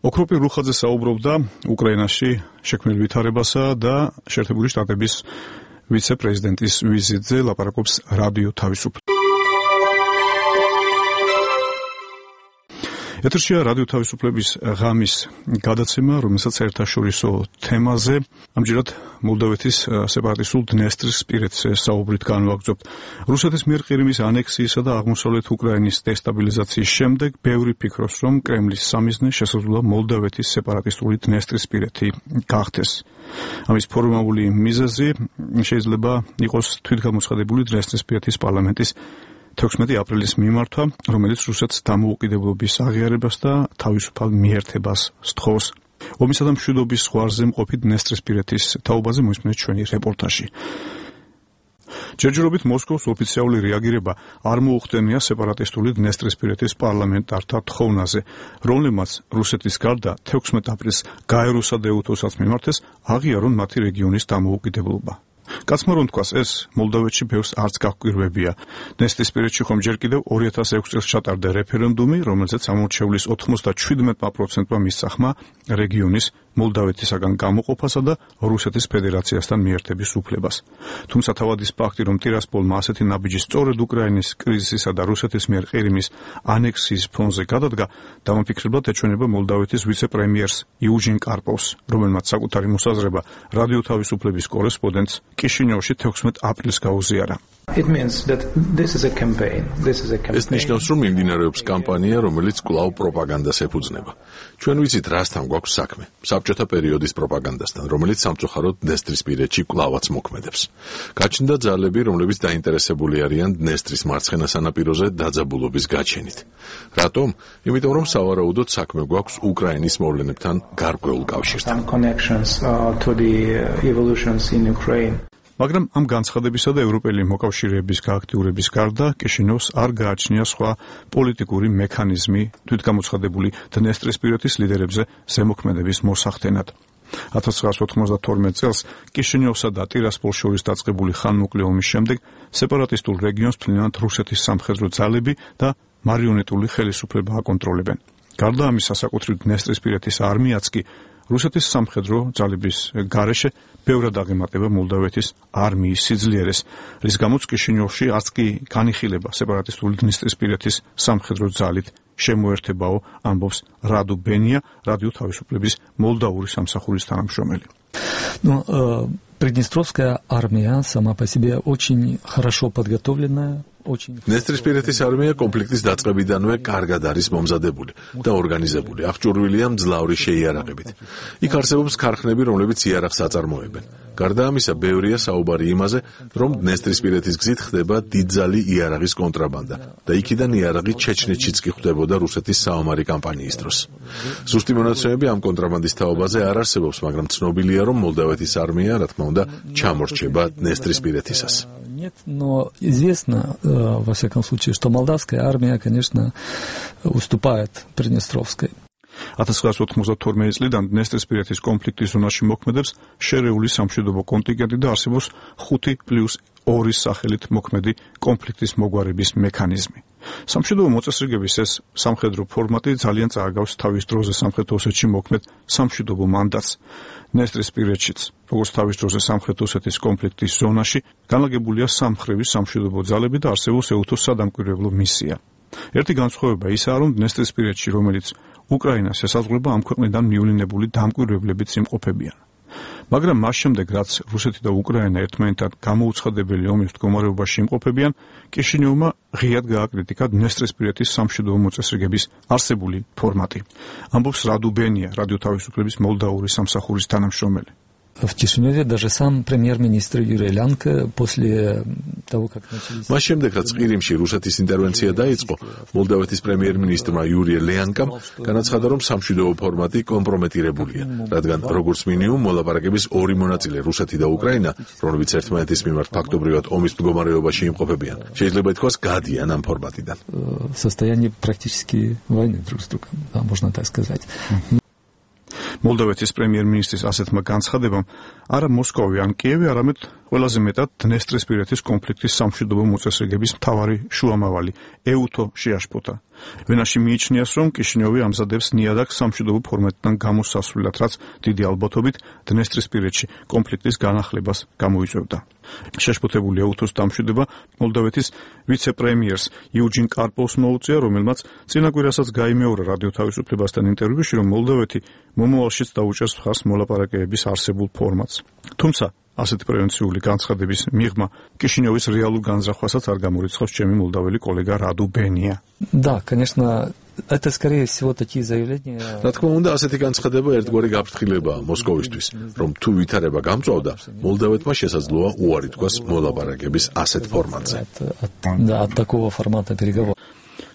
ოქროპირ რუხაძე საუბრობდა უკრაინაში შექმნილ ვითარებასა და შეერთებული შტატების ვიცე-პრეზიდენტის ვიზიტზე, ლაპარაკობს რადიო თავისუფლება. ეთერშია რადიო თავისუფლების ღამის გადაცემა, რომელსაც საერთაშორისო თემაზე, ამჯერად მოლდოვეთის სეპარატისტულ დნესტრისპირეთზე საუბრით განვაგრძობთ. რუსეთის მიერ ყირიმის ანექსიისა და აღმოსავლეთ უკრაინის დესტაბილიზაციის შემდეგ ბევრი ფიქრობს, რომ კრემლის სამიზნე შესაძლოა მოლდოვეთის სეპარატისტული დნესტრისპირეთი გახდეს. ამის ფორმალური მიზეზი შეიძლება იყოს თვითგამოცხადებული დნესტრისპირეთის პარლამენტის 16 აპრილის მიმართვა, რომელიც რუსეთს დამოუკიდებლობის აღიარებას და თავისუფალ მიერთებას სთხოვს. ომისა და მშვიდობის ზღვარზე მყოფი დნესტრისპირეთის თაობაზე მოისმინეთ ჩვენი რეპორტაჟი. ჯერჯერობით მოსკოვის ოფიციალური რეაგირება არ მოუხდენია სეპარატისტული დნესტრისპირეთის პარლამენტართა თხოვნაზე, რომლებმაც რუსეთის გარდა 16 აპრილს გაეროსა და ეუთოსაც მიმართეს აღიარონ მათი რეგიონის დამოუკიდებლობა. კაცმა რომ თქვას, ეს მოლდოვეთში ბევრს არც გაჰკვირვებია. დნესტრისპირეთში ხომ ჯერ კიდევ 2006 წელს ჩატარდა რეფერენდუმი, რომელზეც ამორჩევლის 97%-მა მისცა ხმა რეგიონის მოლდოვეთისაგან გამოყოფასა და რუსეთის ფედერაციასთან მიერთების უფლებას. თუმცა თავადის ფაქტი, რომ ტირასპოლმა ასეთი ნაბიჯი სწორედ უკრაინის კრიზისისა და რუსეთის მიერ ყირიმის ანექსიის ფონზე გადადგა, დამაფიქრებლად ეჩვენება მოლდოვეთის ვიცე-პრემიერს იუჯინ კარპოვს, რომელმაც საკუთარი მოსაზრება რადიო თავისუფლების კორესპონდენტს კიშინიოვში 16 აპრილს გაუზიარა. ეს ნიშნავს, რომ მიმდინარეობს კამპანია, რომელიც კვლავ პროპაგანდას ეფუძნება. ჩვენ ვიცით, რასთან გვაქვს საქმე. საბჭოთა პერიოდის პროპაგანდასთან, რომელიც სამწუხაროდ დნესტრისპირეთში კვლავაც მოქმედებს. გაჩნდა ძალები, რომლებიც დაინტერესებული არიან დნესტრის მარცხენა სანაპიროზე დაძაბულობის გაჩენით. რატომ? იმიტომ, რომ სავარაუდოდ საქმე გვაქვს უკრაინის მოვლენებთან გარკვეულ კავშირთან. მაგრამ ამ განცხადებისა და ევროპელი მოკავშირეების გააქტიურების გარდა კიშინევს არ გააჩნია სხვა პოლიტიკური მექანიზმი თვითგამოცხადებული დნესტრისპირეთის ლიდერებზე ზემოქმედების მოსახდენად. 1992 წელს კიშინევსა და ტირასპოლს შორის დაწყებული ხანმოკლე ომის შემდეგ სეპარატისტულ რეგიონს მთლიანად რუსეთის სამხედრო ძალები და მარიონეტული ხელისუფლება აკონტროლებენ. გარდა ამისა, საკუთრივ დნესტრისპირეთის არმიაც კი რუსეთის სამხედრო ძალების გარეშე ბევრად აღემატება მოლდოვეთის არმიის სიძლიერეს, რის გამოც კიშინიოვში არც კი განიხილება სეპარატისტული დნესტრისპირეთის სამხედრო ძალით შემოერთებაო, ამბობს რადუ ბენია, რადიო თავისუფლების მოლდავური სამსახურის თანამშრომელი. Приднестровская армия сама по себе очень хорошо подготовленная. დნესტრისპირეთის არმია კონფლიქტის დაწყებიდანვე კარგად არის მომზადებული და ორგანიზებული, აღჭურვილია მძლავრი შეიარაღებით. იქ არსებობს ქარხნები, რომლებიც იარაღს აწარმოებენ. გარდა ამისა, ბევრია საუბარი იმაზე, რომ დნესტრისპირეთის გზით ხდება დიდძალი იარაღის კონტრაბანდა და იქიდან იარაღი ჩეჩნეთშიც კი ხვდებოდა რუსეთის საომარი კამპანიის დროს. ზუსტი მონაცემები ამ კონტრაბანდის თაობაზე არ არსებობს, მაგრამ ცნობილია, რომ მოლდოვეთის არმია, რა თქმა უნდა, ჩამორჩება დნესტრისპირეთისას. Нет, но известно, во всяком случае, что молдавская армия, конечно, уступает Приднестровской. 1992 წლიდან დნესტრისპირეთის კონფლიქტის ზონაში მოქმედებს შერეული სამშვიდობო კონტინგენტი და არსებობს 5+2 სახელით მოქმედი კონფლიქტის მოგვარების მექანიზმი. სამშვიდობო მოწესრიგების ეს სამხედრო ფორმატი ძალიან წააგავს თავის დროზე სამხრეთ ოსეთში მოქმედ სამშვიდობო მანდატს. დნესტრისპირეთშიც, როგორც თავის დროზე სამხრეთ ოსეთის კონფლიქტის ზონაში, განლაგებულია სამმხრივი სამშვიდობო ძალები და არსებობს ეუთოს სადამკვირვებლო მისია. ერთი განსხვავება ისაა, რომ დნესტრისპირეთში, რომელიც უკრაინას ესაზღვრება, ამ ქვეყნიდან მივლინებული დამკვირვებლებიც იმყოფებიან. მაგრამ მას შემდეგ, რაც რუსეთი და უკრაინა ერთმანეთთან გამოუცხადებელი ომის მდგომარეობაში იმყოფებიან, კიშინიოვმა ღიად გააკრიტიკა დნესტრისპირეთის სამშვიდობო მოწესრიგების არსებული формати. ამბობს რადუ ბენია, რადიო თავისუფლების მოლდავური სამსახურის თანამშრომელი. В Кишиневе даже сам премьер-министр Юрий Лянко после того, как начались... მას შემდეგ, რაც ყირიმში რუსეთის ინტერვენცია დაიწყო, მოლდოვეთის პრემიერ-მინისტრმა იური ლიანკამ განაცხადა, რომ სამშვიდობო ფორმატი კომპრომეტირებულია, რადგან როგორც მინიმუმ მოლაპარაკების ორი მონაწილე, რუსეთი და უკრაინა, რომლებიც ერთმანეთის მიმართ ფაქტობრივად ომის მდგომარეობაში იმყოფებიან, შეიძლება ითქვას, გადიან ამ ფორმატიდან. В состоянии практически войны друг с другом, можно так сказать. მოლდოვეთის პრემიერ-მინისტრის ასეთმა განცხადებამ არა მოსკოვი ან კიევი, არამედ ყველაზე მეტად დნესტრისპირეთის კონფლიქტის სამშვიდობო მოწესრიგების მთავარი შუამავალი ეუთო შეაშფოთა. ვენაში მიიჩნიას, რომ კიშინიოვი ამზადებს ნიადაგს სამშვიდობო ფორმატიდან გამოსასვლელად, რაც დიდი ალბათობით დნესტრისპირეთში კონფლიქტის განახლებას გამოიწვევდა. შეაშფოთებული ეუთოს დამშვიდობა მოლდოვეთის ვიცე-პრემიერს იუჯინ კარპოვს მოუწია, რომელმაც წინაკვირასაც გაიმეორა რადიო თავისუფლებასთან ინტერვიუში, რომ მოლდოვეთი მომავალშიც დაუჭერს მხარს მოლაპარაკებების არსებულ ფორმატს. თუმცა ასეთი პრევენციული განცხადების მიღმა კიშინიოვის რეალურ განზრახვასაც არ გამორიცხავს ჩემი მოლდაველი კოლეგა რადუ ბენია. Да, конечно, это скорее всего такие заявления. რა თქმა უნდა, ასეთი განცხადება ერთგვარი გაფრთხილებაა მოსკოვისთვის, რომ თუ ვითარება გამწვავდა, მოლდოვეთმა შესაძლოა უარი თქვას მოლაპარაკების ასეთ ფორმატზე. Да, от такого формата переговоров.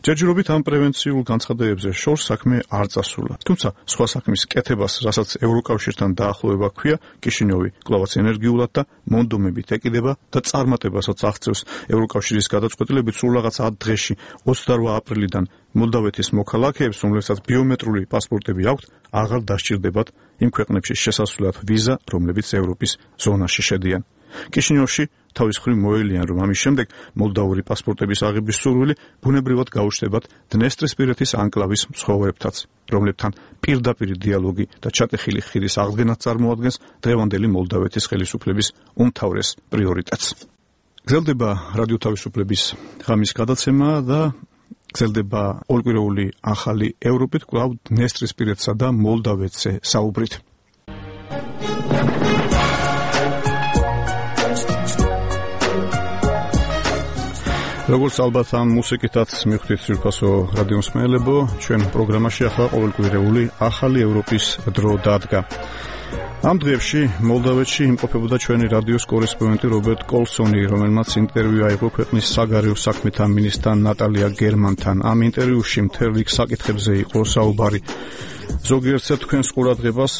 ჯერჯერობით ამ პრევენციულ განცხადებებზე შორს საქმე არ წასულა. თუმცა სხვა საქმის კეთებას, რასაც ევროკავშირთან დაახლოება ჰქვია, კიშინიოვი კვლავაც ენერგიულად და მონდომებით ეკიდება და წარმატებასაც აღწევს. ევროკავშირის გადაწყვეტილებით სულ რაღაც 10 დღეში 28 აპრილიდან მოლდავეთის მოქალაქეებს, რომლებსაც ბიომეტრიული პასპორტები აქვთ, აღარ დასჭირდებათ იმ ქვეყნებში შესასვლელად ვიზა, რომლებიც ევროპის ზონაში შედიან. კიშინიოვში თავის მხრივ მოელიან, რომ ამის შემდეგ მოლდავური პასპორტების აღების სურვილი ბუნებრივად გაუჩნდებათ დნესტრისპირეთის ანკლავის მცხოვრებთაც, რომლებთან პირდაპირ დიალოგი და ჩატეხილი ხიდის აღდგენაც წარმოადგენს დღევანდელი მოლდავეთის ხელისუფლების უმთავრეს პრიორიტეტს. გრძელდება რადიო თავისუფლების ღამის გადაცემა და გრძელდება ყოველკვირეული ახალი ევროპით, კვლავ დნესტრისპირეთსა და მოლდავეთზე საუბრით. როგორც ალბათ ამ მუსიკითაც მივხვდით ძვირფასო რადიო მსმენელებო, ჩვენ პროგრამაში ახლა ყოველკვირეული ახალი ევროპის დრო დადგა. ამ დღეებში მოლდავეთში იმყოფებოდა ჩვენი რადიოს კორესპონდენტი რობერტ კოლსონი, რომელმაც ინტერვიუ აიღო ქვეყნის საგარეო საქმეთა მინისტრთან ნატალია გერმანთან. ამ ინტერვიუში მთელ რიგ საკითხებზე იყო საუბარი. ზოგიერთსა თქვენს ყურადღებას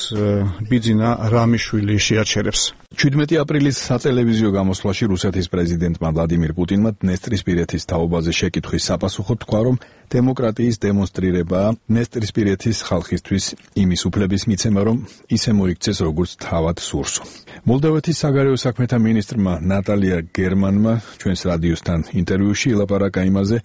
ბიძინა რამიშვილი შეაჩერებს. 17 აპრილის სატელევიზიო გამოსვლაში რუსეთის პრეზიდენტმა ვლადიმირ პუტინმა დნესტრისპირეთის თაობაზე შეკითხვის საპასუხოდ თქვა, რომ დემოკრატიის დემონსტრირებაა დნესტრისპირეთის ხალხისთვის იმის უფლების მიცემა, რომ ისე მოიქცეს, როგორც თავად სურს. მოლდავეთის საგარეო საქმეთა მინისტრმა ნატალია გერმანმა ჩვენს რადიოსთან ინტერვიუში ელაპარაკა იმაზე,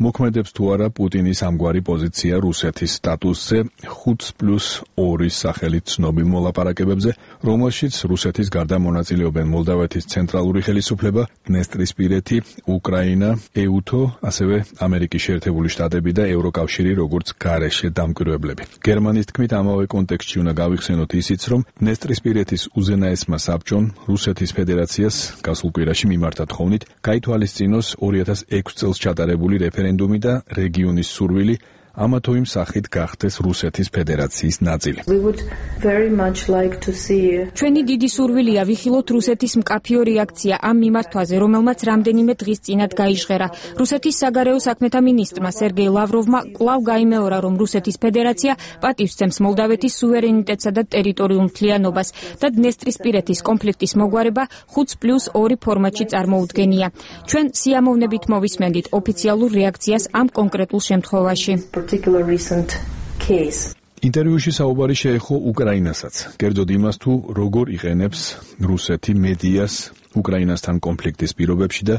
მოქმედებს თუ არა პუტინის ამგვარი პოზიცია რუსეთის სტატუსზე 5+2 სახელით ცნობილ მოლაპარაკებებზე, რომელშიც რუსეთის გარდა მონაწილეობენ მოლდავეთის ცენტრალური ხელისუფლება, დნესტრისპირეთი, უკრაინა, ეუთო, ასევე ამერიკის შეერთებული შტატები და ევროკავშირი, როგორც გარეშე დამკვირვებლები. გერმანის თქმით, ამავე კონტექსტში უნდა გავიხსენოთ ისიც, რომ დნესტრისპირეთის უზენაესმა საბჭომ რუსეთის ფედერაციას გასულ კვირაში მიმართა თხოვნით გაითვალისწინოს 2006 წელს ჩატარებული რეფერენდუმი და რეგიონის სურვილი ამა თუ იმ სახით გახდეს რუსეთის ფედერაციის ნაწილი. ჩვენი დიდი სურვილია ვიხილოთ რუსეთის მკაფიო რეაქცია ამ მიმართვაზე, რომელმაც რამდენიმე დღის წინათ გაიჟღერა. რუსეთის საგარეო საქმეთა მინისტრმა სერგეი ლავროვმა კვლავ გაიმეორა, რომ რუსეთის ფედერაცია პატივს სცემს მოლდავეთის სუვერენიტეტსა და ტერიტორიულ მთლიანობას და დნესტრისპირეთის კონფლიქტის მოგვარება 5+2 ფორმატში წარმოუდგენია. ჩვენ სიამოვნებით მოვისმენდით ოფიციალურ რეაქციას ამ კონკრეტულ შემთხვევაში. ინტერვიუში საუბარი შეეხო უკრაინასაც, კერძოდ იმას თუ როგორ იყენებს რუსეთი მედიას უკრაინასთან კონფლიქტის პირობებში და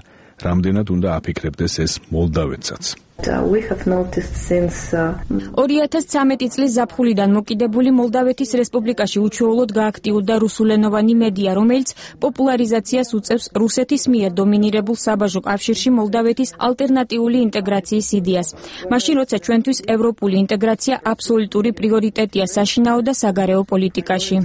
რამდენად უნდა აფიქრებდეს ეს მოლდავეთსაც. 2013 წლის ზაფხულიდან მოკიდებული მოლდავეთის რესპუბლიკაში უჩვეულოდ გააქტიურდა რუსულენოვანი მედია, რომელიც პოპულარიზაციას უწევს რუსეთის მიერ დომინირებულ საბაჟო კავშირში მოლდავეთის ალტერნატიული ინტეგრაციის იდეას. მაშინ, როცა ჩვენთვის ევროპული ინტეგრაცია აბსოლუტური პრიორიტეტია საშინაო და საგარეო პოლიტიკაში.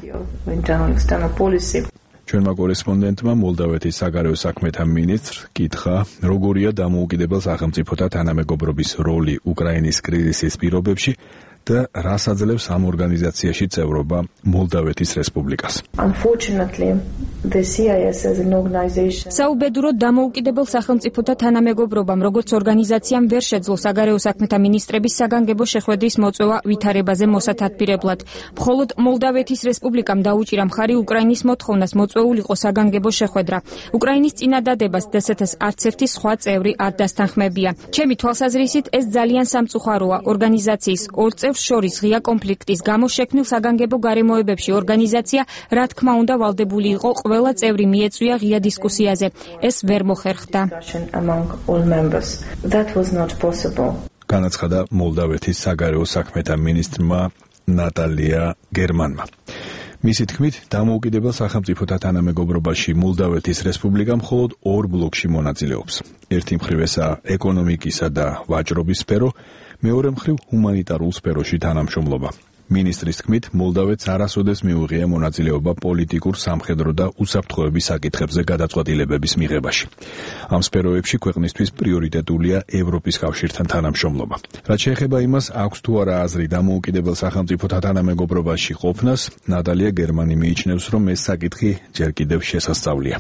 ჩვენმა კორესპონდენტმა მოლდავეთის საგარეო საქმეთა მინისტრს კითხა, როგორია დამოუკიდებელ სახელმწიფოთა თანამეგობრობის როლი უკრაინის კრიზისის პირობებში და რას აძლევს ამ ორგანიზაციაში წევრობა მოლდავეთის რესპუბლიკას. საუბედუროდ დამოუკიდებელ სახელმწიფოთა თანამეგობრობამ როგორც ორგანიზაციამ ვერ შეძლო საგარეო საქმეთა მინისტრების საგანგებო შეხვედრის მოწვევა ვითარებაზე მოსათათბირებლად. მხოლოდ მოლდავეთის რესპუბლიკამ დაუჭირა მხარი უკრაინის მოთხოვნას მოწვეულიყო საგანგებო შეხვედრა. უკრაინის წინადადებას დსთ-ს არც ერთი სხვა წევრი არ დასთანხმებია. ჩემი თვალსაზრისით ეს ძალიან სამწუხაროა ორგანიზაციის ორ წევრს შორის ღია კონფლიქტის გამო შექმნილ საგანგებო გარემოებებში ორგანიზაცია რა თქმა უნდა ვალდებული იყო ყველა წევრი მიეწვია ღია დისკუსიაზე. ეს ვერ მოხერხდა. განაცხადა მოლდავეთის საგარეო საქმეთა მინისტრმა ნატალია გერმანმა. მისი თქმით, დამოუკიდებელ სახელმწიფოთა თანამეგობრობაში მოლდავეთის რესპუბლიკა მხოლოდ ორ ბლოკში მონაწილეობს. ერთი მხრივ ესაა ეკონომიკისა და ვაჭრობის სფერო, მეორე მხრივ ჰუმანიტარულ სფეროში თანამშრომლობა. მინისტრის თქმით, მოლდავეთს არასოდეს მიუღია მონაწილეობა პოლიტიკურ, სამხედრო და უსაფრთხოების საკითხებზე გადაწყვეტილებების მიღებაში. ამ სფეროებში ქვეყნისთვის პრიორიტეტულია ევროპის კავშირთან თანამშრომლობა. რაც შეეხება იმას, აქვს თუ არა აზრი დამოუკიდებელ სახელმწიფოთა თანამეგობრობაში ყოფნას, ნატალია გერმანი მიიჩნევს, რომ ეს საკითხი ჯერ კიდევ შესასწავლია.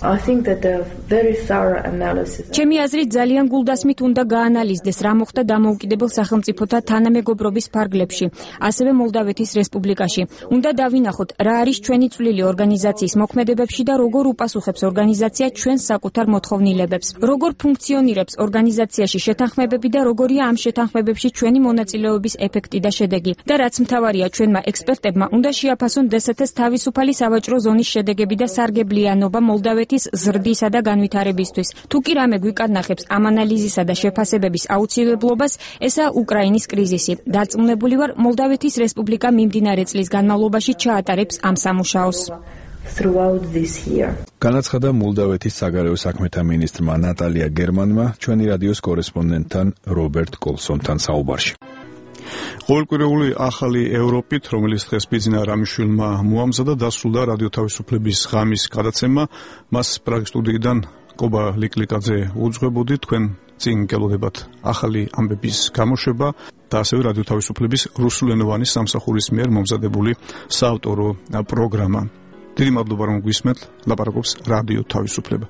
ჩემი აზრით, ძალიან გულდასმით უნდა გაანალიზდეს, რა მოხდა დამოუკიდებელ სახელმწიფოთა თანამეგობრობის ფარგლებში, ასევე მოლდავეთის რესპუბლიკაში. უნდა დავინახოთ, რა არის ჩვენი წვლილი ორგანიზაციის მოქმედებებში და როგორ უპასუხებს ორგანიზაცია ჩვენს საკუთარ მოთხოვნილებებს. როგორ ფუნქციონირებს ორგანიზაციაში შეთანხმებები და როგორია ამ შეთანხმებებში ჩვენი მონაწილეობის ეფექტი და შედეგი. და რაც მთავარია, ჩვენმა ექსპერტებმა უნდა შეაფასონ DST-ს თავისუფალი სავაჭრო ზონის შედეგები და სარგებლიანობა მოლდავეთის ზრდისა და განვითარებისთვის. თუ კი რამე გვიკარნახებს ამ ანალიზისა და შეფასებების აუცილებლობას, ესაა უკრაინის კრიზისი. დარწმუნებული ვარ, მოლდავეთის რესპუბლიკა მიმდინარე წლის განმავლობაში ჩაატარებს ამ სამუშაოს. განაცხადა მოლდავეთის საგარეო საქმეთა მინისტრმა ნატალია გერმანმა ჩვენი რადიოს კორესპონდენტთან რობერტ კოლსონთან საუბარში. ყოველკვირეული ახალი ევროპით, რომელიც დღეს ბიძინა რამიშვილმა მოამზადა, დასრულდა რადიო თავისუფლების ღამის გადაცემა. მას პრაღის სტუდიიდან კობა ლიკლიკაძე უძღვებოდი. თქვენ წინ გელოდებათ ახალი ამბების გამოშვება და ასევე რადიო თავისუფლების რუსულენოვანი სამსახურის მიერ მომზადებული საავტორო პროგრამა. დიდი მადლობა, რომ გვისმენთ. ლაპარაკობს რადიო თავისუფლება.